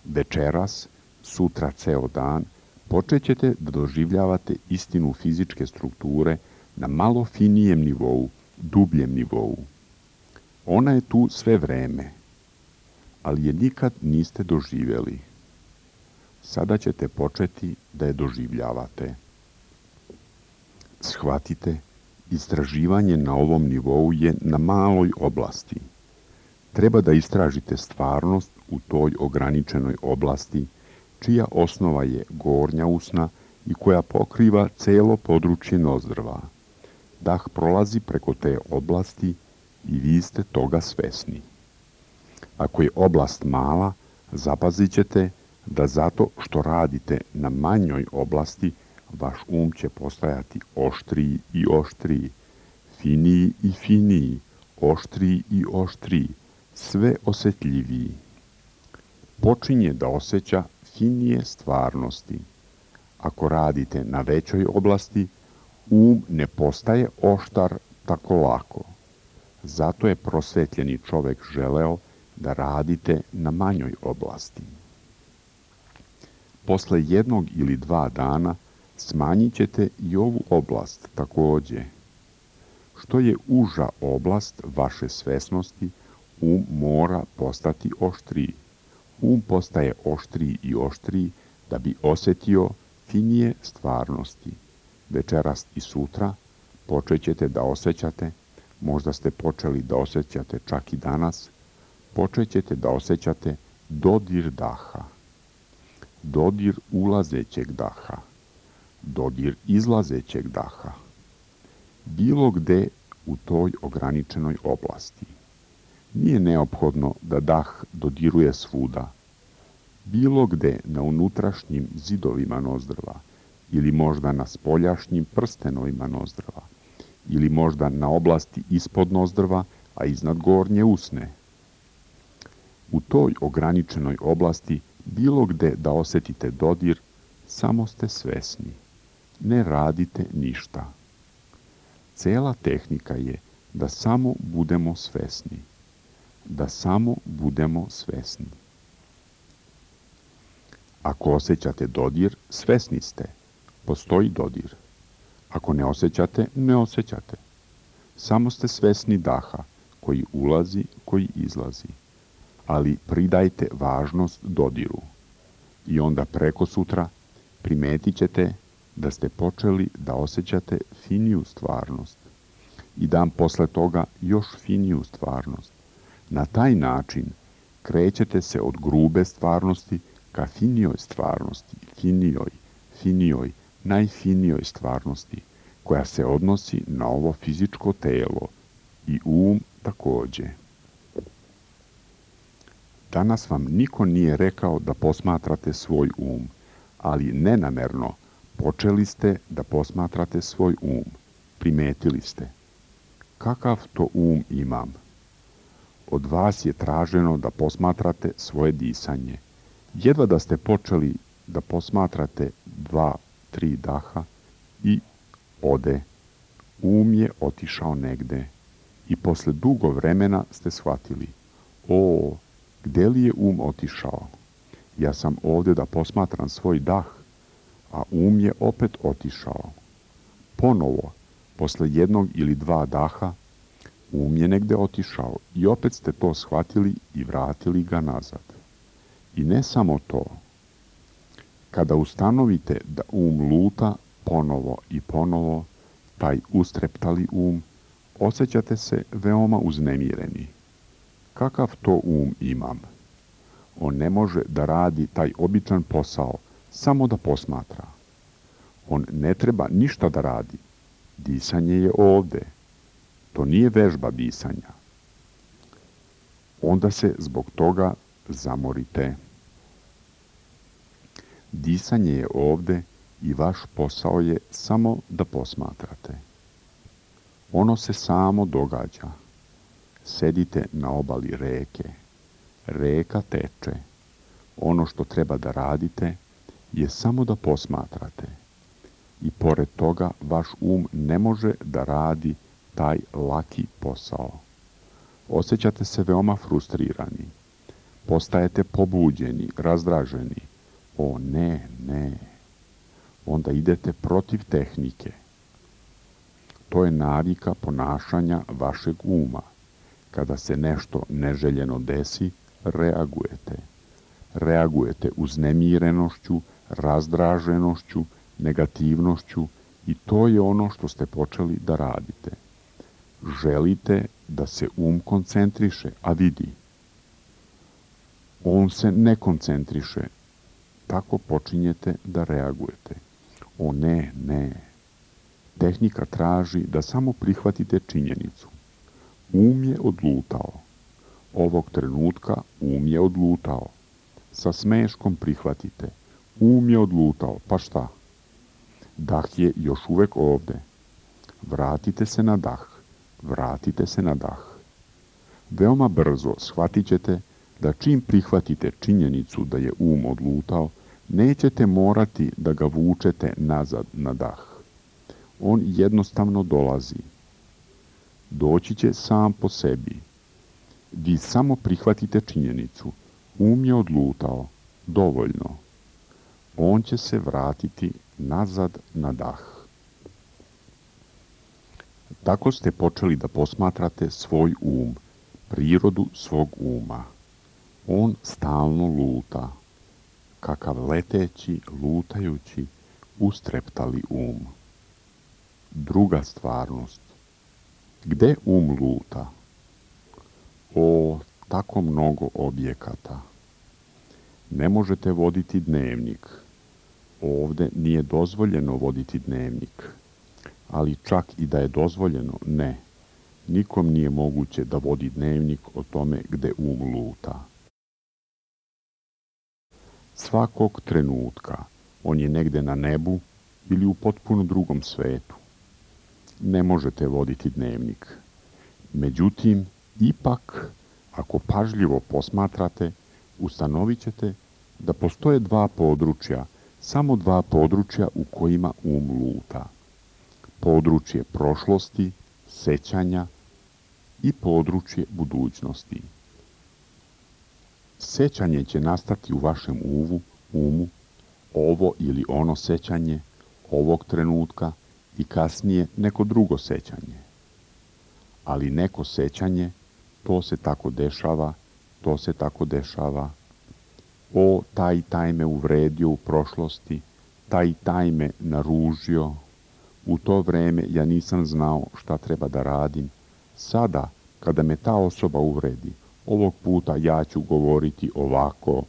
Večeras, sutra ceo dan, počećete da doživljavate istinu fizičke strukture na malo finijem nivou, dubljem nivou. Ona je tu sve vreme, ali je nikad niste doživjeli. Sada ćete početi da je doživljavate. Shvatite, istraživanje na ovom nivou je na maloj oblasti. Treba da istražite stvarnost u toj ograničenoj oblasti, čija osnova je gornja usna i koja pokriva celo područje nozdrva. Dah prolazi preko te oblasti i vi ste toga svesni. Ako je oblast mala, zapazit ćete da zato što radite na manjoj oblasti, vaš će postajati oštriji i oštriji, finiji i finiji, oštriji i oštriji, sve osjetljiviji. Počinje da osjeća finije stvarnosti. Ako radite na većoj oblasti, ne postaje oštar tako lako. Zato je prosvetljeni čovek želeo da radite na manjoj oblasti. Posle 1 ili 2 dana smanjit ćete i ovu oblast takođe. Što je uža oblast vaše svesnosti, mora postati oštriji. Postaje oštriji i oštriji da bi osjetio finije stvarnosti. Večeras i sutra počet ćete da osjećate, možda ste počeli da osjećate čak i danas, počet ćete da osjećate dodir daha, dodir ulazećeg daha, dodir izlazećeg daha, bilo gde u toj ograničenoj oblasti. Nije neophodno da dah dodiruje svuda, bilo gde na unutrašnjim zidovima nozdrva, ili možda na spoljašnjim prstenovima nozdrva, ili možda na oblasti ispod nozdrva, a iznad gornje usne. U toj ograničenoj oblasti, bilo gde da osjetite dodir, samo ste svesni. Ne radite ništa. Cela tehnika je da samo budemo svesni. Da samo budemo svesni. Ako osjećate dodir, svesni ste. Postoji dodir. Ako ne osjećate, ne osjećate. Samo ste svesni daha, koji ulazi, koji izlazi. Ali pridajte važnost dodiru. I onda preko sutra primetit ćete da ste počeli da osjećate finiju stvarnost. I dan posle toga još finiju stvarnost. Na taj način krećete se od grube stvarnosti ka finijoj stvarnosti, finijoj, najfinijoj stvarnosti, koja se odnosi na ovo fizičko telo i takođe. Danas vam niko nije rekao da posmatrate svoj ali nenamerno počeli ste da posmatrate svoj Primetili ste. Kakav to imam? Od vas je traženo da posmatrate svoje disanje. Jedva da ste počeli da posmatrate 2-3 daha i ode. Je otišao negde. I posle dugo vremena ste shvatili. Gde li je otišao? Ja sam ovde da posmatram svoj dah, a je opet otišao. Ponovo, posle 1 ili 2 daha, je negde otišao i opet ste to shvatili i vratili ga nazad. I ne samo to. Kada ustanovite da luta ponovo i ponovo, taj ustreptali osjećate se veoma uznemireni. Kakav to imam? On ne može da radi taj običan posao, samo da posmatra. On ne treba ništa da radi. Disanje je ovde. To nije vežba disanja. Onda se zbog toga zamorite. Disanje je ovde i vaš posao je samo da posmatrate. Ono se samo događa. Sedite na obali reke. Reka teče. Ono što treba da radite je samo da posmatrate. I pored toga vaš ne može da radi taj laki posao. Osjećate se veoma frustrirani. Postajete pobuđeni, razdraženi. Ne. Onda idete protiv tehnike. To je navika ponašanja vašeg Kada se nešto neželjeno desi, reagujete. Reagujete uznemirenošću, razdraženošću, negativnošću i to je ono što ste počeli da radite. Želite da se koncentriše, a vidi. On se ne koncentriše. Tako počinjete da reagujete. Ne. Tehnika traži da samo prihvatite činjenicu. Je odlutao. Ovog trenutka je odlutao. Sa smeškom prihvatite. Je odlutao, pa šta? Dah je još uvek ovde. Vratite se na dah. Veoma brzo shvatit ćete da čim prihvatite činjenicu da je odlutao, nećete morati da ga vučete nazad na dah. On jednostavno dolazi. Doći će sam po sebi. Vi samo prihvatite činjenicu. Je odlutao. Dovoljno. On će se vratiti nazad na dah. Tako ste počeli da posmatrate svoj prirodu svog On stalno luta. Kakav leteći, lutajući, ustreptali druga stvarnost. Gde luta? O, tako mnogo objekata. Ne možete voditi dnevnik. Ovde nije dozvoljeno voditi dnevnik. Ali čak i da je dozvoljeno, ne. Nikom nije moguće da vodi dnevnik o tome gde luta. Svakog trenutka on je negde na nebu ili u potpuno drugom svetu. Ne možete voditi dnevnik. Međutim, ipak, ako pažljivo posmatrate, ustanovit ćete da postoje dva područja, samo dva područja u kojima luta. Područje prošlosti, sećanja i područje budućnosti. Sećanje će nastati u vašem umu, ovo ili ono sećanje, ovog trenutka i kasnije neko drugo sećanje. Ali neko sećanje, to se tako dešava, to se tako dešava. O, taj me uvredio u prošlosti, taj me naružio. U to vreme ja nisam znao šta treba da radim. Sada, kada me ta osoba uvredi, ovog puta ja ću govoriti ovako.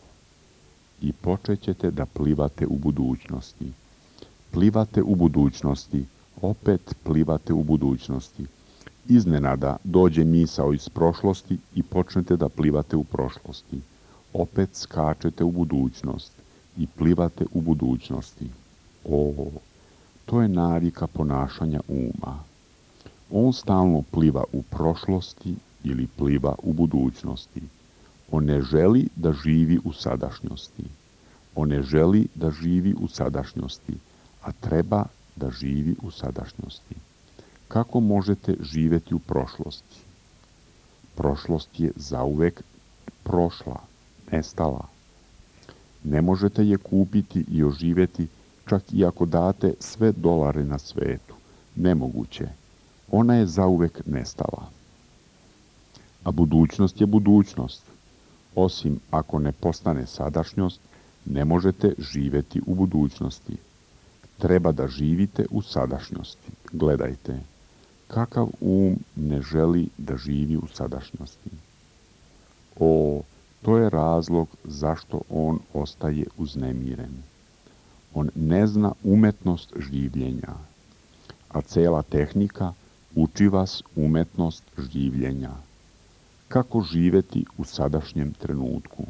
I počet ćete da plivate u budućnosti. Plivate u budućnosti, opet plivate u budućnosti. Iznenada dođe misao iz prošlosti i počnete da plivate u prošlosti. Opet skačete u budućnost i plivate u budućnosti. O, to je navika ponašanja uma. On stalno pliva u prošlosti ili pliva u budućnosti. On ne želi da živi u sadašnjosti. On ne želi da živi u sadašnjosti, a treba da živi u sadašnjosti. Kako možete živjeti u prošlosti? Prošlost je zauvek prošla, nestala. Ne možete je kupiti i oživjeti čak i ako date sve dolare na svetu. Nemoguće. Ona je zauvek nestala. A budućnost je budućnost. Osim ako ne postane sadašnjost, ne možete živjeti u budućnosti. Treba da živite u sadašnjosti. Gledajte, kakav ne želi da živi u sadašnjosti. O, to je razlog zašto on ostaje uznemiren. On ne zna umetnost življenja, a cela tehnika uči vas umetnost življenja. Kako živeti u sadašnjem trenutku?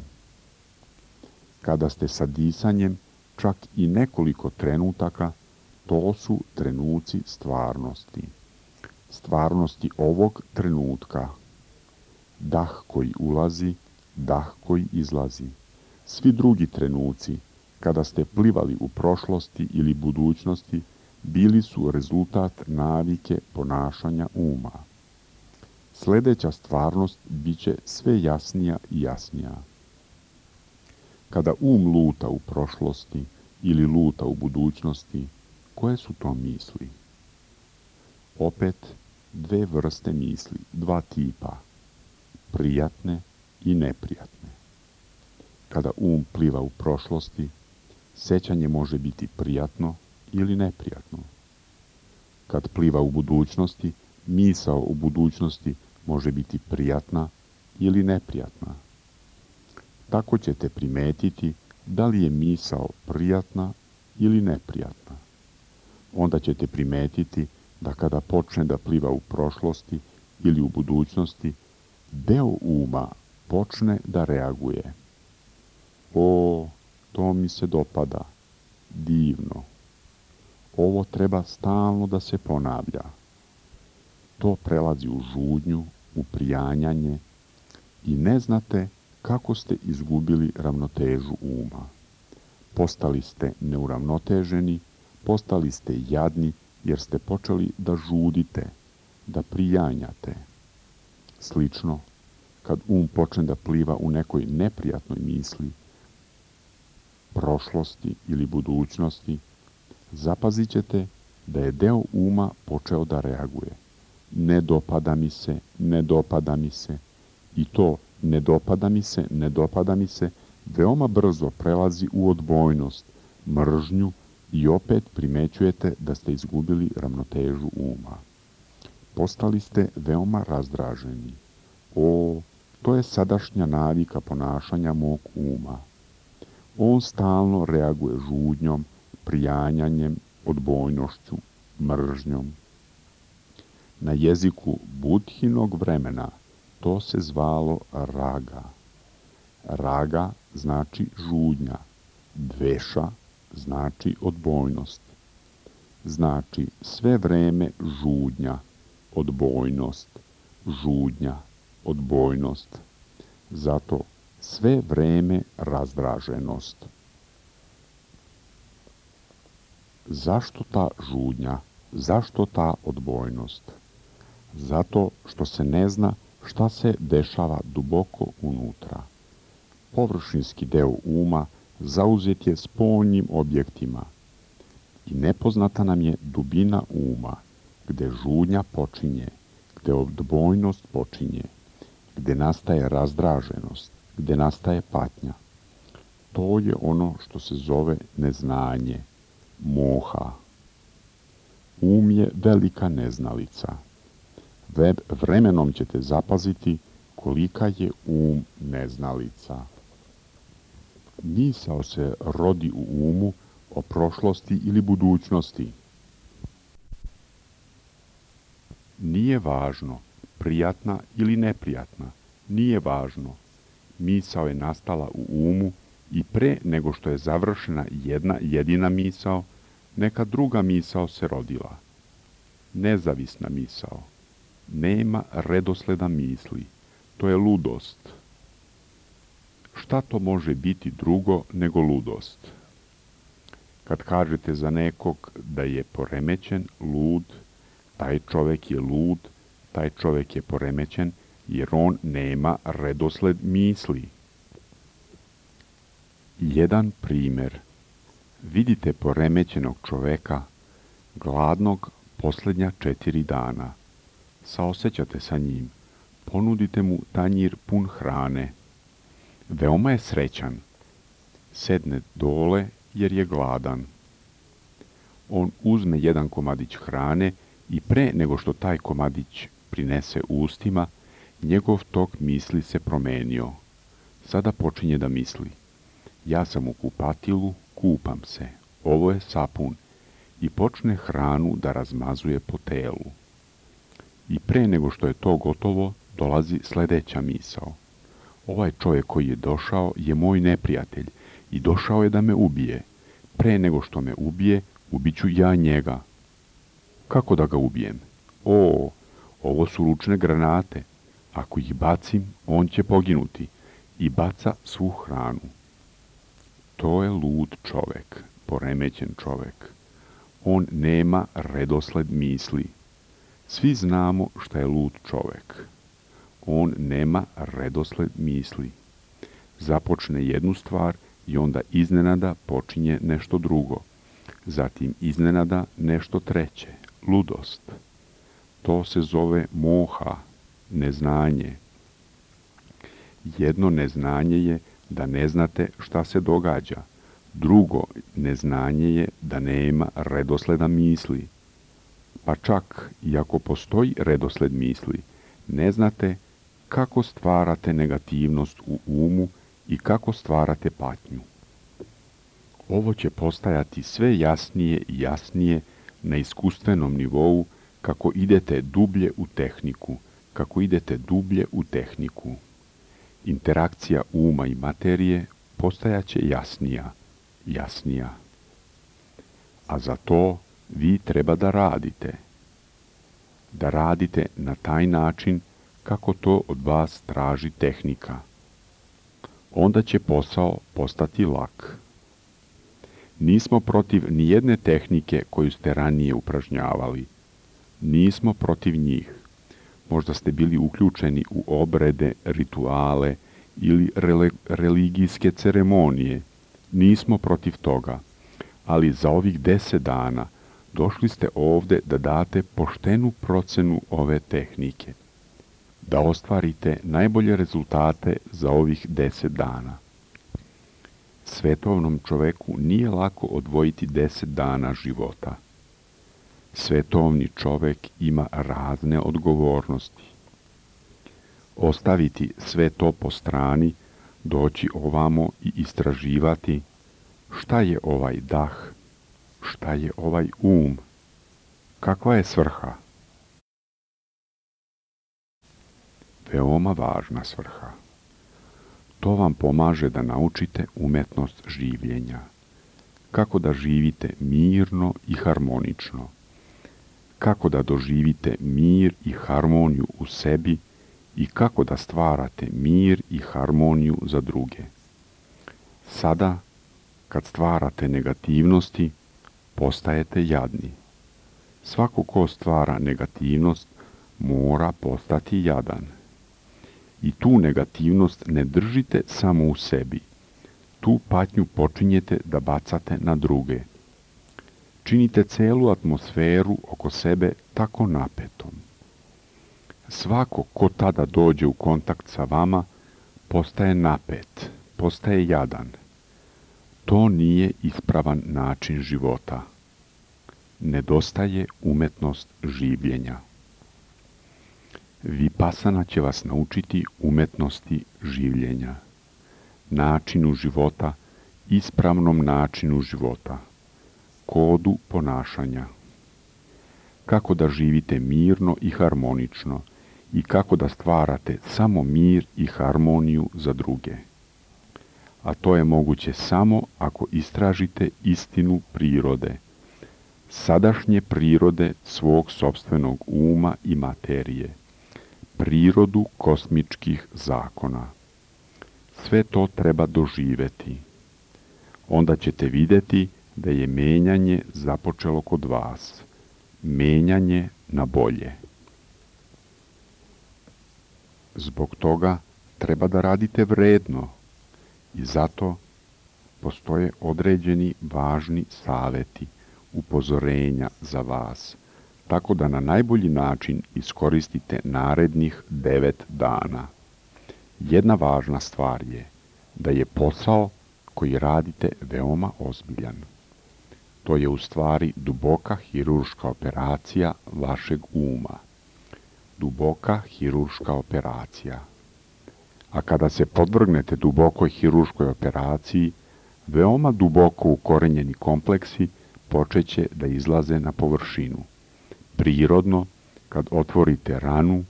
Kada ste sa disanjem, čak i nekoliko trenutaka, to su trenuci stvarnosti. Stvarnosti ovog trenutka. Dah koji ulazi, dah koji izlazi. Svi drugi trenuci, kada ste plivali u prošlosti ili budućnosti, bili su rezultat navike ponašanja uma. Sljedeća stvarnost bit će sve jasnija i jasnija. Kada luta u prošlosti ili luta u budućnosti, koje su to misli? Opet dve vrste misli, dva tipa, prijatne i neprijatne. Kada pliva u prošlosti, sećanje može biti prijatno ili neprijatno. Kad pliva u budućnosti, misao u budućnosti može biti prijatna ili neprijatna. Tako ćete primetiti da li je misao prijatna ili neprijatna. Onda ćete primetiti da kada počne da pliva u prošlosti ili u budućnosti, deo uma počne da reaguje. O, to mi se dopada, divno. Ovo treba stalno da se ponavlja. To prelazi u žudnju, u prijanjanje i ne znate kako ste izgubili ravnotežu uma. Postali ste neuravnoteženi, postali ste jadni jer ste počeli da žudite, da prijanjate. Slično, kad počne da pliva u nekoj neprijatnoj misli, prošlosti ili budućnosti, zapazit ćete da je deo uma počeo da reaguje. Ne dopada mi se, ne dopada mi se. I to ne dopada mi se, veoma brzo prelazi u odbojnost, mržnju I opet primećujete da ste izgubili ravnotežu uma. Postali ste veoma razdraženi. O, to je sadašnja navika ponašanja mog uma. On stalno reaguje žudnjom, prijanjanjem, odbojnošću, mržnjom. Na jeziku Budhinog vremena to se zvalo raga. Raga znači žudnja, dveša znači odbojnost. Znači sve vreme žudnja, odbojnost, žudnja, odbojnost. Zato sve vreme razdraženost. Zašto ta žudnja? Zašto ta odbojnost? Zato što se ne zna šta se dešava duboko unutra. Površinski deo uma zauzet je spoljnim objektima i nepoznata nam je dubina uma, gde žudnja počinje, gde odbojnost počinje, gde nastaje razdraženost, gde nastaje patnja. To je ono što se zove neznanje, moha. Um je velika neznalica. Vremenom ćete zapaziti kolika je um neznalica. Misao se rodi u umu o prošlosti ili budućnosti. Nije važno, prijatna ili neprijatna, nije važno. Misao je nastala u umu i pre nego što je završena jedna jedina misao, neka druga misao se rodila. Nezavisna misao. Nema redosleda misli. To je ludost. Šta to može biti drugo nego ludost? Kad kažete za nekog da je poremećen, lud, taj čovek je lud, taj čovek je poremećen, jer on nema redosled misli. Jedan primer. Vidite poremećenog čoveka, gladnog posljednja 4 dana. Saosećate sa njim, ponudite mu tanjir pun hrane. Veoma je srećan. Sedne dole jer je gladan. On uzme jedan komadić hrane i pre nego što taj komadić prinese ustima, njegov tok misli se promenio. Sada počinje da misli. Ja sam u kupatilu, kupam se. Ovo je sapun. I počne hranu da razmazuje po telu. I pre nego što je to gotovo, dolazi sledeća misao. Ovaj čovjek koji je došao je moj neprijatelj i došao je da me ubije. Pre nego što me ubije, ubiću ja njega. Kako da ga ubijem? O, ovo su ručne granate. Ako ih bacim, on će poginuti. I baca svu hranu. To je lud čovek, poremećen čovek. On nema redosled misli. Svi znamo šta je lud čovek. On nema redosled misli. Započne jednu stvar i onda iznenada počinje nešto drugo. Zatim iznenada nešto treće, ludost. To se zove moha, neznanje. Jedno neznanje je da ne znate šta se događa. Drugo neznanje je da nema redosleda misli. Pa čak i ako postoji redosled misli, ne znate kako stvarate negativnost u umu i kako stvarate patnju. Ovo će postajati sve jasnije i jasnije na iskustvenom nivou kako idete dublje u tehniku, kako idete dublje u tehniku. Interakcija uma i materije postajaće jasnija, jasnija. A za to vi treba da radite. Da radite na taj način kako to od vas traži tehnika. Onda će posao postati lak. Nismo protiv nijedne tehnike koju ste ranije upražnjavali. Nismo protiv njih. Možda ste bili uključeni u obrede, rituale ili religijske ceremonije. Nismo protiv toga. Ali za ovih 10 dana došli ste ovde da date poštenu procenu ove tehnike. Da ostvarite najbolje rezultate za ovih 10 dana. Svetovnom čoveku nije lako odvojiti 10 dana života. Svetovni čovek ima razne odgovornosti. Ostaviti sve to po strani, doći ovamo i istraživati šta je ovaj dah, šta je ovaj kakva je svrha. Veoma važna svrha. To vam pomaže da naučite umetnost življenja. Kako da živite mirno i harmonično. Kako da doživite mir i harmoniju u sebi i kako da stvarate mir i harmoniju za druge. Sada, kad stvarate negativnosti, postajete jadni. Svako ko stvara negativnost mora postati jadan. I tu negativnost ne držite samo u sebi. Tu patnju počinjete da bacate na druge. Činite celu atmosferu oko sebe tako napetom. Svako ko tada dođe u kontakt sa vama postaje napet, postaje jadan. To nije ispravan način života. Nedostaje umetnost življenja. Vipasana će vas naučiti umetnosti življenja, načinu života, ispravnom načinu života, kodu ponašanja. Kako da živite mirno i harmonično i kako da stvarate samo mir i harmoniju za druge. A to je moguće samo ako istražite istinu prirode, sadašnje prirode svog sopstvenog uma i materije, prirodu kosmičkih zakona. Sve to treba doživeti. Onda ćete vidjeti da je menjanje započelo kod vas. Menjanje na bolje. Zbog toga treba da radite vredno i zato postoje određeni važni saveti, upozorenja za vas, tako da na najbolji način iskoristite narednih 9 dana. Jedna važna stvar je da je posao koji radite veoma ozbiljan. To je u stvari duboka hirurška operacija vašeg uma. Duboka hirurška operacija. A kada se podvrgnete dubokoj hirurškoj operaciji, veoma duboko ukorenjeni kompleksi počeće da izlaze na površinu. Prirodno, kad otvorite ranu,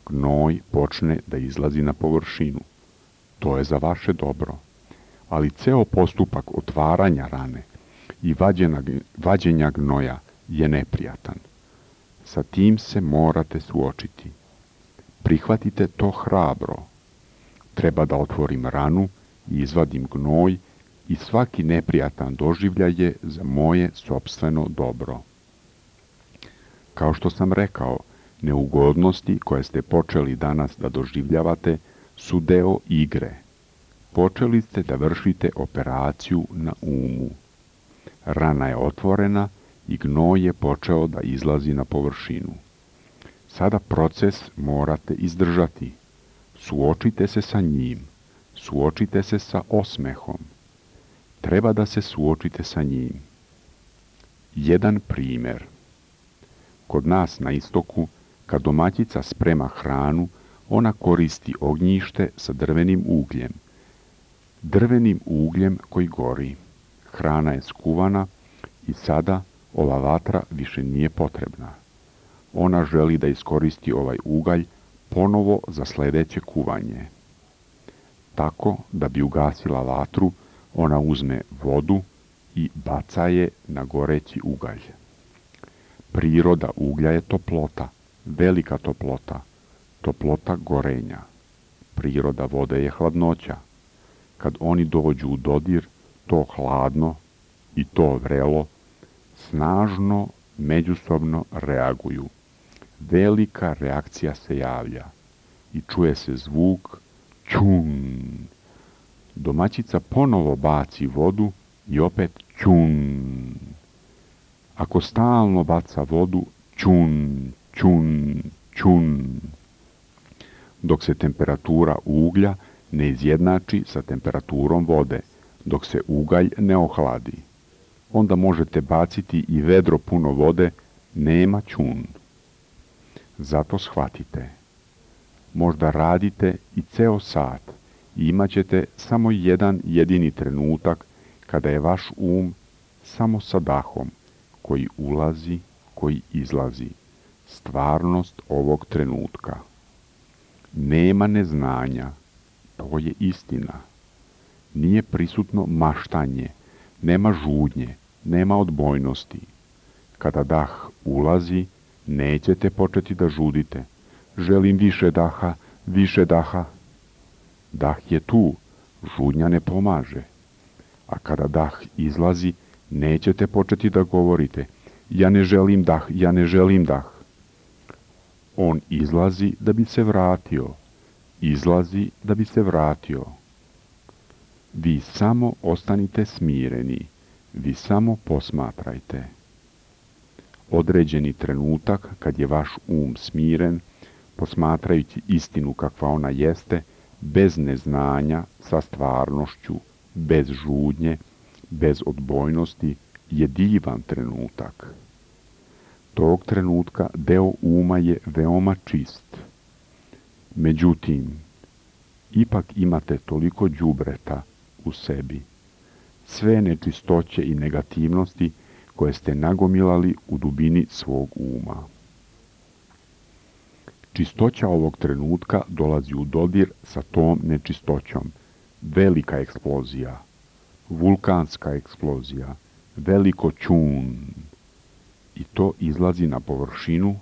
gnoj počne da izlazi na površinu. To je za vaše dobro. Ali ceo postupak otvaranja rane i vađenja gnoja je neprijatan. Sa tim se morate suočiti. Prihvatite to hrabro. Treba da otvorim ranu i izvadim gnoj i svaki neprijatan doživljaj je za moje sopstveno dobro. Kao što sam rekao, neugodnosti koje ste počeli danas da doživljavate su deo igre. Počeli ste da vršite operaciju na umu. Rana je otvorena i gnoj je počeo da izlazi na površinu. Sada proces morate izdržati. Suočite se sa njim. Suočite se sa osmehom. Treba da se suočite sa njim. Jedan primjer. Kod nas na istoku, kad domaćica sprema hranu, ona koristi ognjište sa drvenim ugljem. Drvenim ugljem koji gori. Hrana je skuvana i sada ova vatra više nije potrebna. Ona želi da iskoristi ovaj ugalj ponovo za sljedeće kuvanje. Tako, da bi ugasila vatru, ona uzme vodu i baca je na goreći ugalj. Priroda uglja je toplota, velika toplota, toplota gorenja. Priroda vode je hladnoća. Kad oni dođu u dodir, to hladno i to vrelo snažno međusobno reaguju. Velika reakcija se javlja i čuje se zvuk čun. Domaćica ponovo baci vodu i opet čun. Ako stalno baca vodu, čun, čun, čun, dok se temperatura uglja ne izjednači sa temperaturom vode, dok se ugalj ne ohladi. Onda možete baciti i vedro puno vode, nema ćun. Zato shvatite, možda radite i ceo sat i imat ćete samo jedan jedini trenutak kada je vaš samo sa dahom, koji ulazi, koji izlazi, stvarnost ovog trenutka. Nema neznanja, to je istina. Nije prisutno maštanje, nema žudnje, nema odbojnosti. Kada dah ulazi, nećete početi da žudite. Želim više daha, više daha. Dah je tu, žudnja ne pomaže. A kada dah izlazi, nećete početi da govorite ja ne želim dah, ja ne želim dah. On izlazi da bi se vratio, izlazi da bi se vratio. Vi samo ostanite smireni, vi samo posmatrajte. Određeni trenutak kad je vaš smiren, posmatrajući istinu kakva ona jeste, bez neznanja, sa stvarnošću, bez žudnje, bez odbojnosti, je divan trenutak. Tog trenutka deo uma je veoma čist. Međutim, ipak imate toliko đubreta u sebi, sve nečistoće i negativnosti koje ste nagomilali u dubini svog uma. Čistoća ovog trenutka dolazi u dodir sa tom nečistoćom. Velika eksplozija, vulkanska eksplozija, veliko ćun. I to izlazi na površinu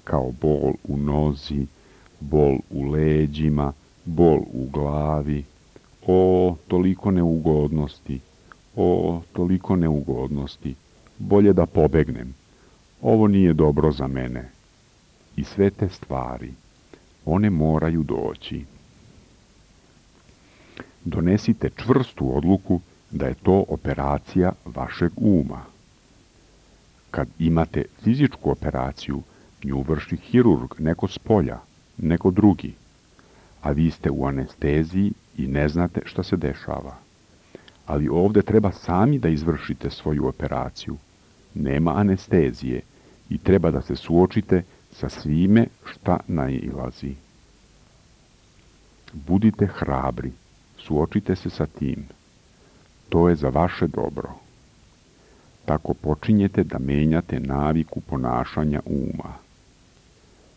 kao bol u nozi, bol u leđima, bol u glavi. O, toliko neugodnosti, o, toliko neugodnosti. Bolje da pobegnem. Ovo nije dobro za mene. I sve te stvari, one moraju doći. Donesite čvrstu odluku da je to operacija vašeg uma. Kad imate fizičku operaciju, nju vrši hirurg, neko s polja, neko drugi, a vi ste u anesteziji i ne znate šta se dešava. Ali ovdje treba sami da izvršite svoju operaciju. Nema anestezije i treba da se suočite sa svime šta nailazi. Budite hrabri, suočite se sa tim. To je za vaše dobro. Tako počinjete da menjate naviku ponašanja uma.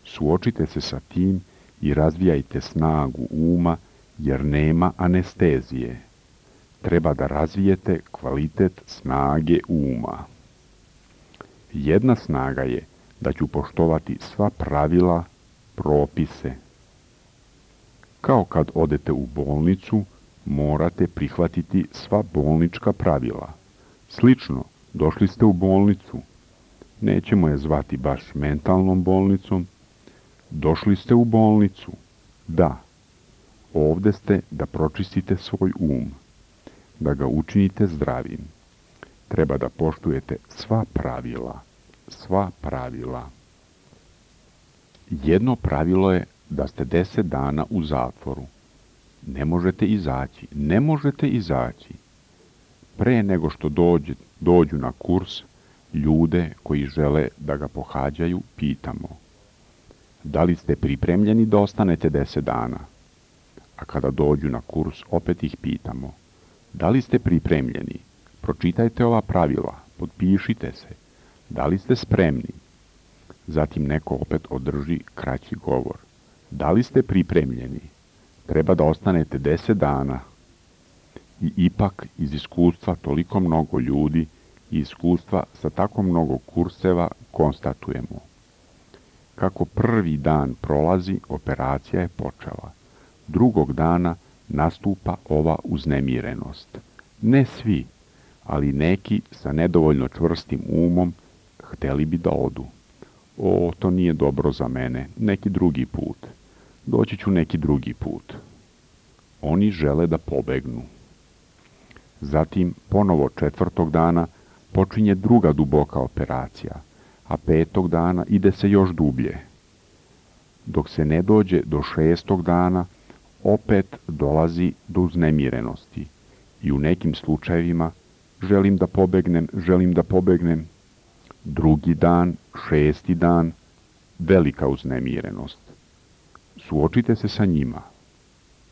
Suočite se sa tim i razvijajte snagu uma, jer nema anestezije. Treba da razvijete kvalitet snage uma. Jedna snaga je da ću poštovati sva pravila, propise. Kao kad odete u bolnicu, morate prihvatiti sva bolnička pravila. Slično, došli ste u bolnicu. Nećemo je zvati baš mentalnom bolnicom. Došli ste u bolnicu. Da, ovdje ste da pročistite svoj da ga učinite zdravim. Treba da poštujete sva pravila, sva pravila. Jedno pravilo je da ste 10 dana u zatvoru. Ne možete izaći, ne možete izaći. Pre nego što dođu na kurs, ljude koji žele da ga pohađaju, pitamo: da li ste pripremljeni da ostanete 10 dana? A kada dođu na kurs, opet ih pitamo: da li ste pripremljeni? Pročitajte ova pravila, potpišite se. Da li ste spremni? Zatim neko opet održi kraći govor. Da li ste pripremljeni? Treba da ostanete 10 dana. I ipak iz iskustva toliko mnogo ljudi i iskustva sa tako mnogo kurseva konstatujemo. Kako prvi dan prolazi, operacija je počela. Drugog dana nastupa ova uznemirenost. Ne svi, ali neki sa nedovoljno čvrstim umom hteli bi da odu. O, to nije dobro za mene, neki drugi put. Doći ću neki drugi put. Oni žele da pobegnu. Zatim, ponovo 4. dana, počinje druga duboka operacija, a 5. dana ide se još dublje. Dok se ne dođe do 6. dana, opet dolazi do uznemirenosti i u nekim slučajevima želim da pobegnem. Drugi dan, 6. dan, velika uznemirenost. Suočite se sa njima.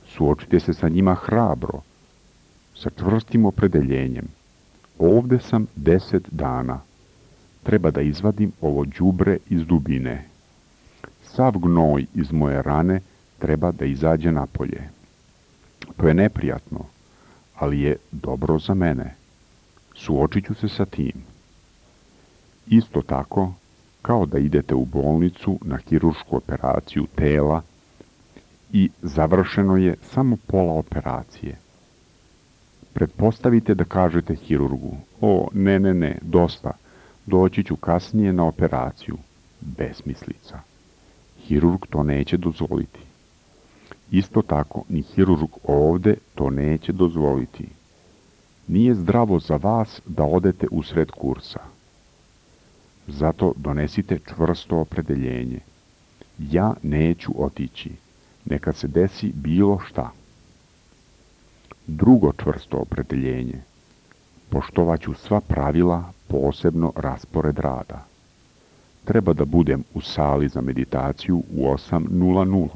Suočite se sa njima hrabro, sa čvrstim opredeljenjem. Ovde sam 10 dana. Treba da izvadim ovo đubre iz dubine. Sav gnoj iz moje rane treba da izađe napolje. To je neprijatno, ali je dobro za mene. Suočit ću se sa tim. Isto tako, kao da idete u bolnicu na hiruršku operaciju tela i završeno je samo pola operacije. Pretpostavite da kažete hirurgu: o, ne, dosta, doći ću kasnije na operaciju. Besmislica. Hirurg to neće dozvoliti. Isto tako, ni hirurg ovde to neće dozvoliti. Nije zdravo za vas da odete usred kursa. Zato donesite čvrsto opredeljenje. Ja neću otići. Neka se desi bilo šta. Drugo čvrsto opredeljenje. Poštovaću sva pravila, posebno raspored rada. Treba da budem u sali za meditaciju u 8:00.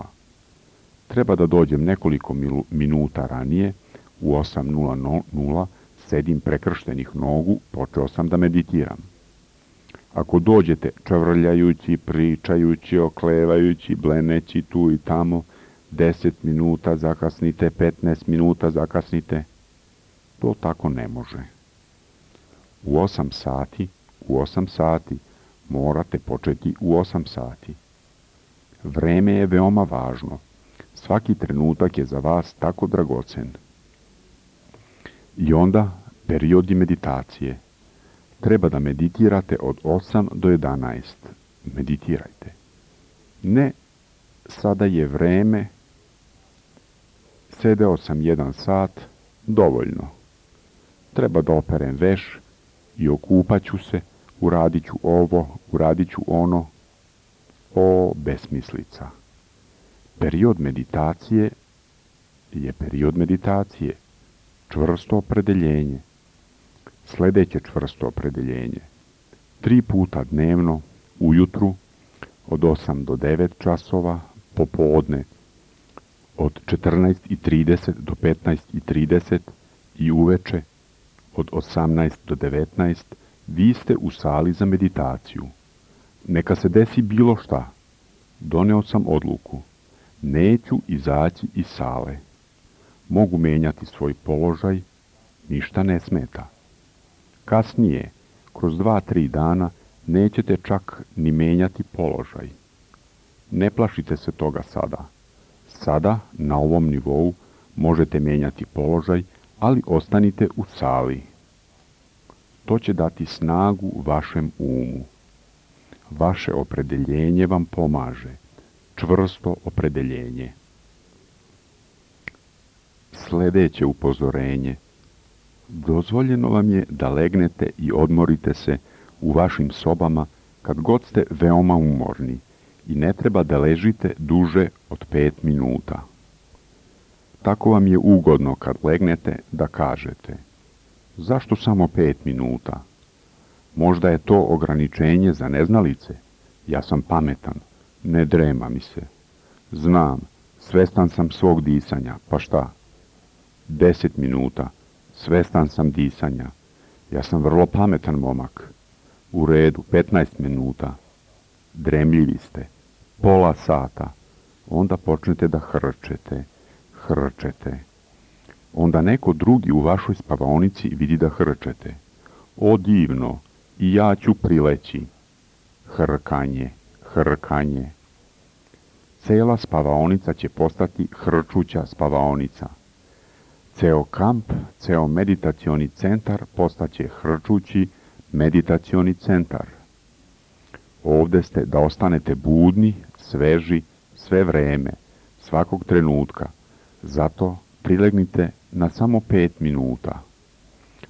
Treba da dođem nekoliko minuta ranije, u 8:00, sedim prekrštenih nogu, počeo sam da meditiram. Ako dođete čavrljajući, pričajući, oklevajući, bleneći tu i tamo, 10 minuta zakasnite, 15 minuta zakasnite, to tako ne može. U 8 sati morate početi u 8 sati. Vreme je veoma važno. Svaki trenutak je za vas tako dragocen. I onda periodi meditacije. Treba da meditirate od 8 do 11. Meditirajte. Ne, sada je vreme, sedeo sam 1 sat, dovoljno. Treba da operem veš i okupaću se, uradit ću ovo, uradit ću ono. O, besmislica. Period meditacije je period meditacije. Čvrsto opredeljenje. Sljedeće čvrsto opredeljenje. 3 puta dnevno, ujutru, od 8 do 9 časova, popodne, od 14:30 do 15:30 i uveče, od 18 do 19, vi ste u sali za meditaciju. Neka se desi bilo šta. Doneo sam odluku. Neću izaći iz sale. Mogu menjati svoj položaj, ništa ne smeta. Kasnije, kroz 2-3 dana, nećete čak ni menjati položaj. Ne plašite se toga sada. Sada, na ovom nivou, možete menjati položaj, ali ostanite u sali. To će dati snagu vašem umu. Vaše opredeljenje vam pomaže. Čvrsto opredeljenje. Sljedeće upozorenje. Dozvoljeno vam je da legnete i odmorite se u vašim sobama kad god ste veoma umorni i ne treba da ležite duže od 5 minuta. Tako vam je ugodno kad legnete da kažete: zašto samo 5 minuta? Možda je to ograničenje za neznalice. Ja sam pametan, ne drema mi se. Znam, svestan sam svog disanja, pa šta? 10 minuta, svestan sam disanja. Ja sam vrlo pametan momak. U redu, 15 minuta. Dremljivi ste. Pola sata. Onda počnete da hrčete. Onda neko drugi u vašoj spavaonici vidi da hrčete. O divno, i ja ću prileći. Hrkanje. Cela spavaonica će postati hrčuća spavaonica. Ceo kamp, ceo meditacioni centar postaće hrčući meditacioni centar. Ovde ste da ostanete budni, sveži, sve vreme, svakog trenutka. Zato prilegnite na samo 5 minuta.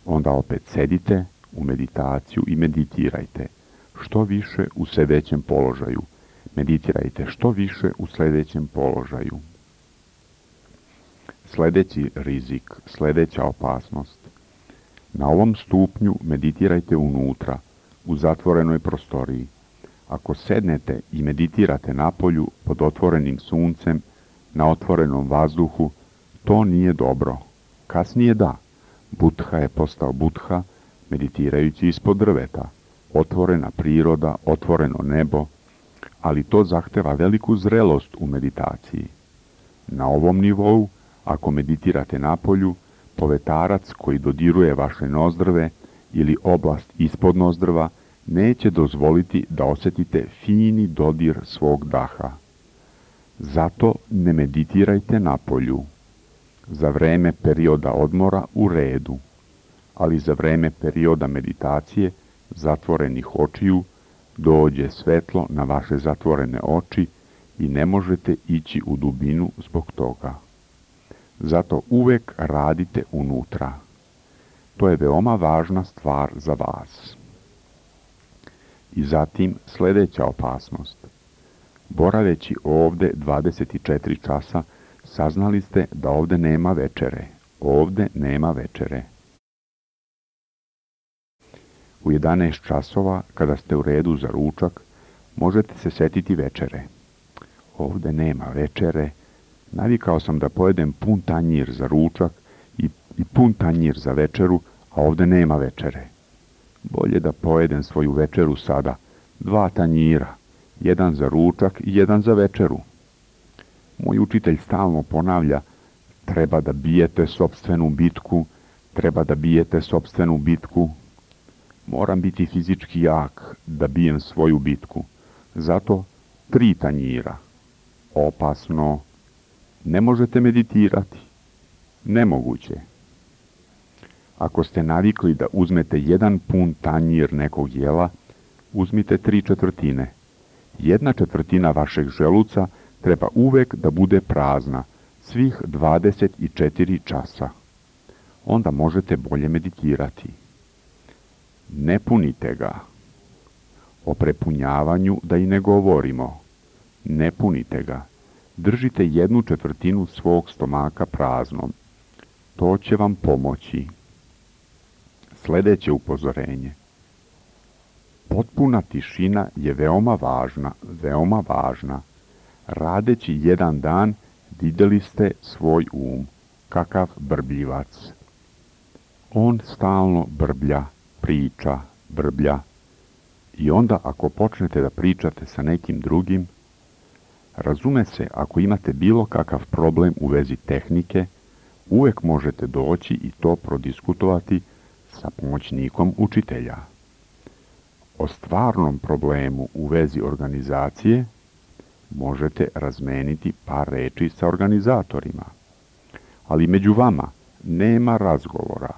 Onda opet sedite u meditaciju i meditirajte. Što više u sedećem položaju. Meditirajte što više u sljedećem položaju. Sljedeći rizik, sljedeća opasnost. Na ovom stupnju meditirajte unutra, u zatvorenoj prostoriji. Ako sednete i meditirate napolju pod otvorenim suncem, na otvorenom vazduhu, to nije dobro. Kasnije da. Buddha je postao Buddha meditirajući ispod drveta. Otvorena priroda, otvoreno nebo, ali to zahteva veliku zrelost u meditaciji. Na ovom nivou, ako meditirate napolju, povetarac koji dodiruje vaše nozdrve ili oblast ispod nozdrva neće dozvoliti da osjetite fini dodir svog daha. Zato ne meditirajte napolju. Za vreme perioda odmora u redu, ali za vreme perioda meditacije zatvorenih očiju dođe svetlo na vaše zatvorene oči i ne možete ići u dubinu zbog toga. Zato uvek radite unutra. To je veoma važna stvar za vas. I zatim sljedeća opasnost. Boraveći ovde 24 časa, saznali ste da ovde nema večere. Ovde nema večere. U 11 časova, kada ste u redu za ručak, možete se setiti večere. Ovde nema večere. Navikao sam da pojedem pun tanjir za ručak i pun tanjir za večeru, a ovde nema večere. Bolje da pojedem svoju večeru sada. 2 tanjira, jedan za ručak i jedan za večeru. Moj učitelj stalno ponavlja, treba da bijete sopstvenu bitku, treba da bijete sopstvenu bitku. Moram biti fizički jak da bijem svoju bitku. Zato 3 tanjira. Opasno. Ne možete meditirati. Nemoguće. Ako ste navikli da uzmete jedan pun tanjir nekog jela, uzmite 3/4. 1/4 vašeg želuca treba uvek da bude prazna, svih 24 časa. Onda možete bolje meditirati. Ne punite ga. O prepunjavanju da i ne govorimo. Ne punite ga. Držite 1/4 svog stomaka praznom. To će vam pomoći. Sljedeće upozorenje. Potpuna tišina je veoma važna, veoma važna. Radeći jedan dan vidjeli ste svoj kakav brbljivac. On stalno brblja, priča, brblja. I onda ako počnete da pričate sa nekim drugim, razume se, ako imate bilo kakav problem u vezi tehnike, uvek možete doći i to prodiskutovati sa pomoćnikom učitelja. O stvarnom problemu u vezi organizacije možete razmeniti par reči sa organizatorima. Ali među vama nema razgovora,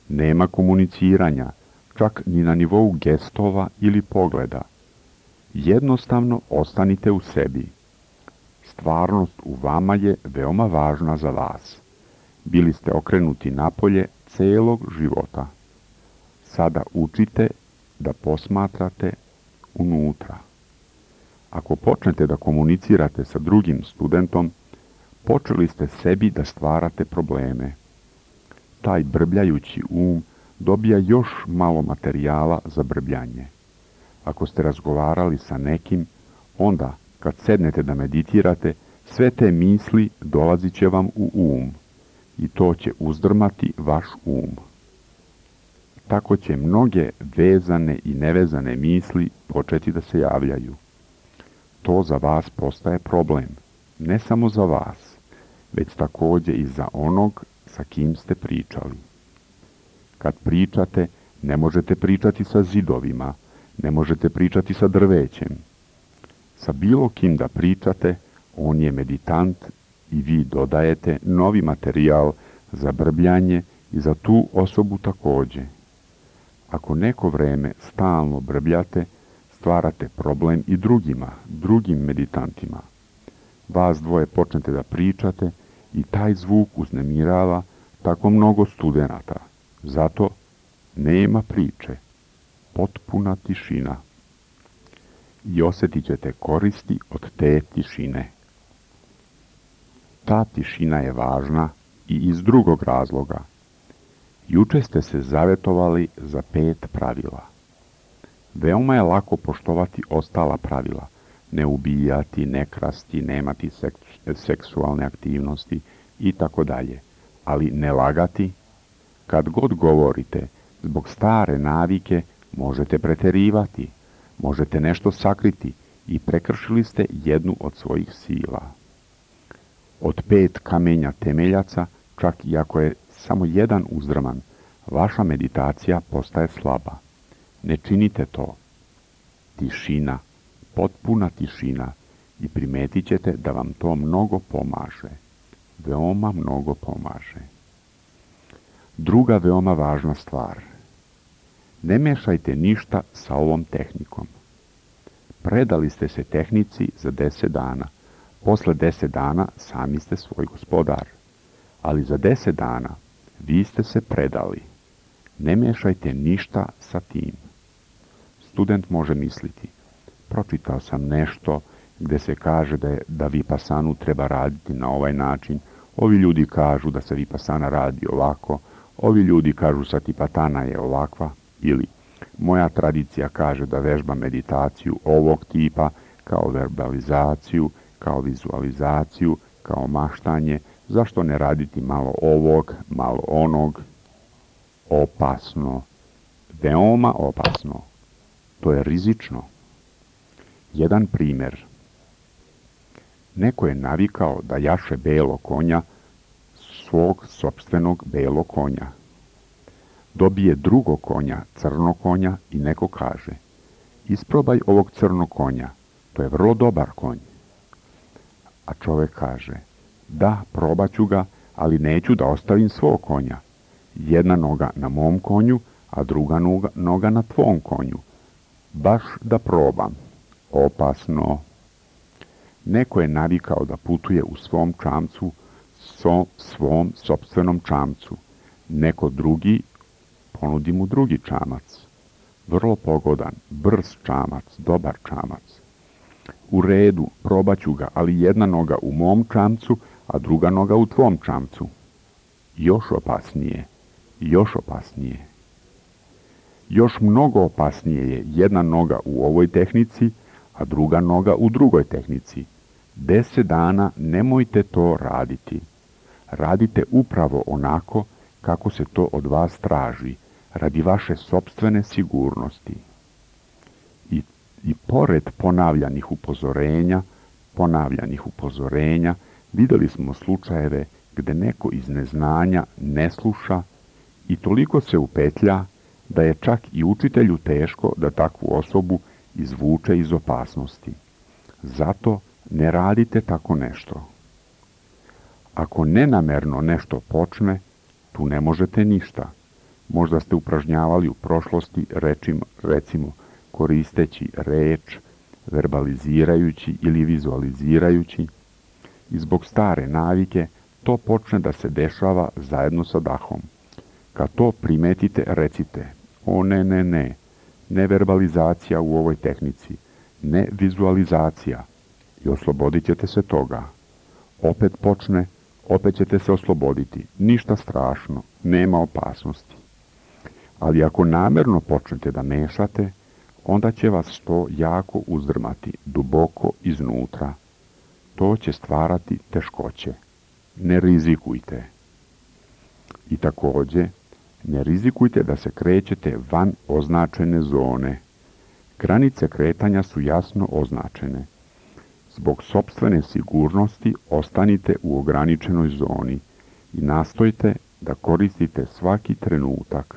nema komuniciranja, čak ni na nivou gestova ili pogleda. Jednostavno ostanite u sebi. Stvarnost u vama je veoma važna za vas. Bili ste okrenuti napolje celog života. Sada učite da posmatrate unutra. Ako počnete da komunicirate sa drugim studentom, počeli ste sebi da stvarate probleme. Taj brbljajući dobija još malo materijala za brbljanje. Ako ste razgovarali sa nekim, onda, kad sednete da meditirate, sve te misli dolazit će vam u i to će uzdrmati vaš Tako će mnoge vezane i nevezane misli početi da se javljaju. To za vas postaje problem, ne samo za vas, već također i za onog sa kim ste pričali. Kad pričate, ne možete pričati sa zidovima, ne možete pričati sa drvećem. Sa bilo kim da pričate, on je meditant i vi dodajete novi materijal za brbljanje i za tu osobu također. Ako neko vreme stalno brbljate, stvarate problem i drugim meditantima. Vas dvoje počnete da pričate i taj zvuk uznemirava tako mnogo studenata. Zato nema priče, potpuna tišina. I osjetit ćete koristi od te tišine. Ta tišina je važna i iz drugog razloga. Juče ste se zavetovali za 5 pravila. Veoma je lako poštovati ostala pravila. Ne ubijati, ne krasti, nemati seksualne aktivnosti i tako dalje. Ali ne lagati. Kad god govorite, zbog stare navike možete preterivati, možete nešto sakriti i prekršili ste jednu od svojih sila. Od 5 kamenja temeljaca, čak i ako je samo jedan uzdrman, vaša meditacija postaje slaba. Ne činite to. Tišina, potpuna tišina i primetit ćete da vam to mnogo pomaže. Veoma mnogo pomaže. Druga veoma važna stvar. Ne mešajte ništa sa ovom tehnikom. Predali ste se tehnici za 10 dana. Posle 10 dana sami ste svoj gospodar. Ali za 10 dana vi ste se predali. Ne mešajte ništa sa tim. Student može misliti, pročitao sam nešto gde se kaže da vipasanu treba raditi na ovaj način, ovi ljudi kažu da se vipasana radi ovako, ovi ljudi kažu satipatana je ovakva, ili moja tradicija kaže da vežba meditaciju ovog tipa kao verbalizaciju, kao vizualizaciju, kao maštanje, zašto ne raditi malo ovog, malo onog? Opasno, veoma opasno. To je rizično. Jedan primjer. Neko je navikao da jaše belo konja, svog sopstvenog belo konja. Dobije drugog konja, crno konja i neko kaže: isprobaj ovog crnog konja, to je vrlo dobar konj. A čovjek kaže: da, probat ću ga, ali neću da ostavim svog konja. Jedna noga na mom konju, a druga noga na tvom konju. Baš da probam. Opasno. Neko je navikao da putuje u svom čamcu, svom sopstvenom čamcu. Neko drugi ponudi mu drugi čamac. Vrlo pogodan, brz čamac, dobar čamac. U redu, probat ću ga, ali jedna noga u mom čamcu, a druga noga u tvom čamcu. Još opasnije, još opasnije. Još mnogo opasnije je jedna noga u ovoj tehnici, a druga noga u drugoj tehnici. 10 dana nemojte to raditi. Radite upravo onako kako se to od vas traži, radi vaše sopstvene sigurnosti. I pored ponavljanih upozorenja, vidjeli smo slučajeve gde neko iz neznanja ne sluša i toliko se upetlja da je čak i učitelju teško da takvu osobu izvuče iz opasnosti. Zato ne radite tako nešto. Ako nenamerno nešto počne, tu ne možete ništa. Možda ste upražnjavali u prošlosti recimo koristeći reč, verbalizirajući ili vizualizirajući, i zbog stare navike to počne da se dešava zajedno sa dahom. Kad to primetite, recite: o ne verbalizacija u ovoj tehnici, ne vizualizacija, i oslobodit ćete se toga. Opet počne, opet ćete se osloboditi, ništa strašno, nema opasnosti. Ali ako namerno počnete da mešate, onda će vas to jako uzdrmati, duboko iznutra. To će stvarati teškoće. Ne rizikujte. I također, ne rizikujte da se krećete van označene zone. Granice kretanja su jasno označene. Zbog sopstvene sigurnosti ostanite u ograničenoj zoni i nastojte da koristite svaki trenutak.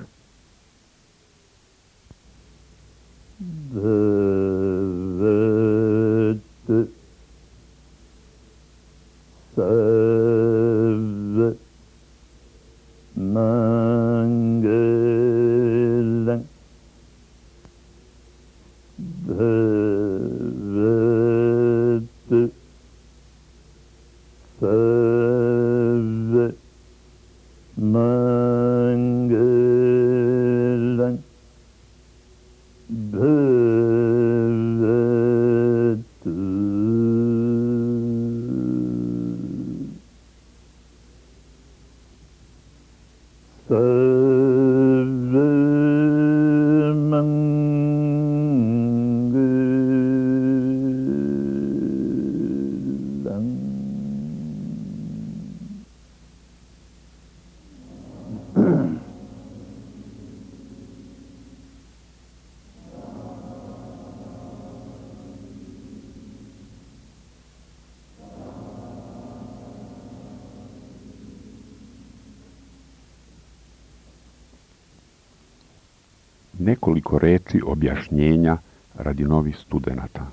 Nekoliko reči objašnjenja radi novih studenata.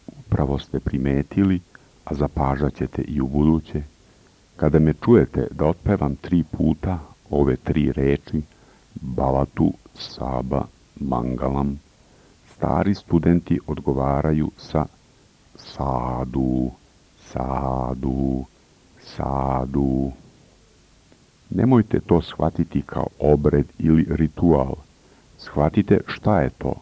Upravo ste primetili, a zapažat ćete i ubuduće, kada me čujete da otpevam 3 puta ove 3 reči Bhavatu, Saba, Mangalam, stari studenti odgovaraju sa Sadu, Sadu, Sadu. Nemojte to shvatiti kao obred ili ritual. Shvatite šta je to.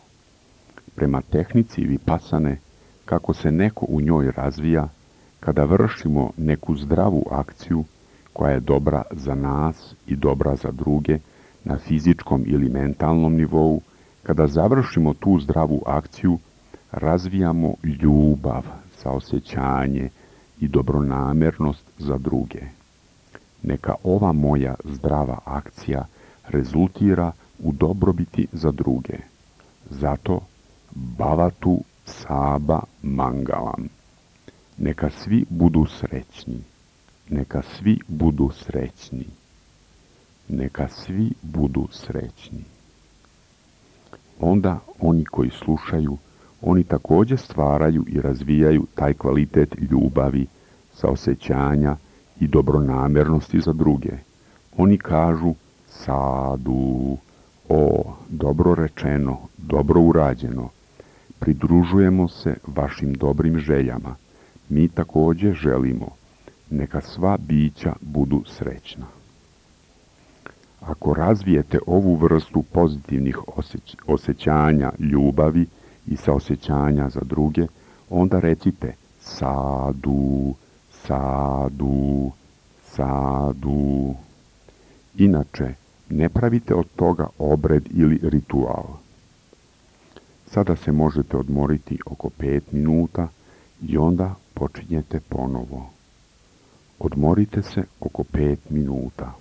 Prema tehnici Vipasane, kako se neko u njoj razvija, kada vršimo neku zdravu akciju koja je dobra za nas i dobra za druge na fizičkom ili mentalnom nivou, kada završimo tu zdravu akciju, razvijamo ljubav, saosjećanje i dobronamernost za druge. Neka ova moja zdrava akcija rezultira u dobrobiti za druge. Zato Bhavatu, Saba, Mangalam. Neka svi budu srećni. Neka svi budu srećni. Neka svi budu srećni. Onda oni koji slušaju, oni također stvaraju i razvijaju taj kvalitet ljubavi, saosjećanja i dobronamernosti za druge. Oni kažu Sadu, o, dobro rečeno, dobro urađeno. Pridružujemo se vašim dobrim željama. Mi također želimo. Neka sva bića budu srećna. Ako razvijete ovu vrstu pozitivnih osjećanja, ljubavi i saosjećanja za druge, onda recite Sadu, Sadu, Sadu. Inače, ne pravite od toga obred ili ritual. Sada se možete odmoriti oko 5 minuta i onda počinjete ponovo. Odmorite se oko 5 minuta.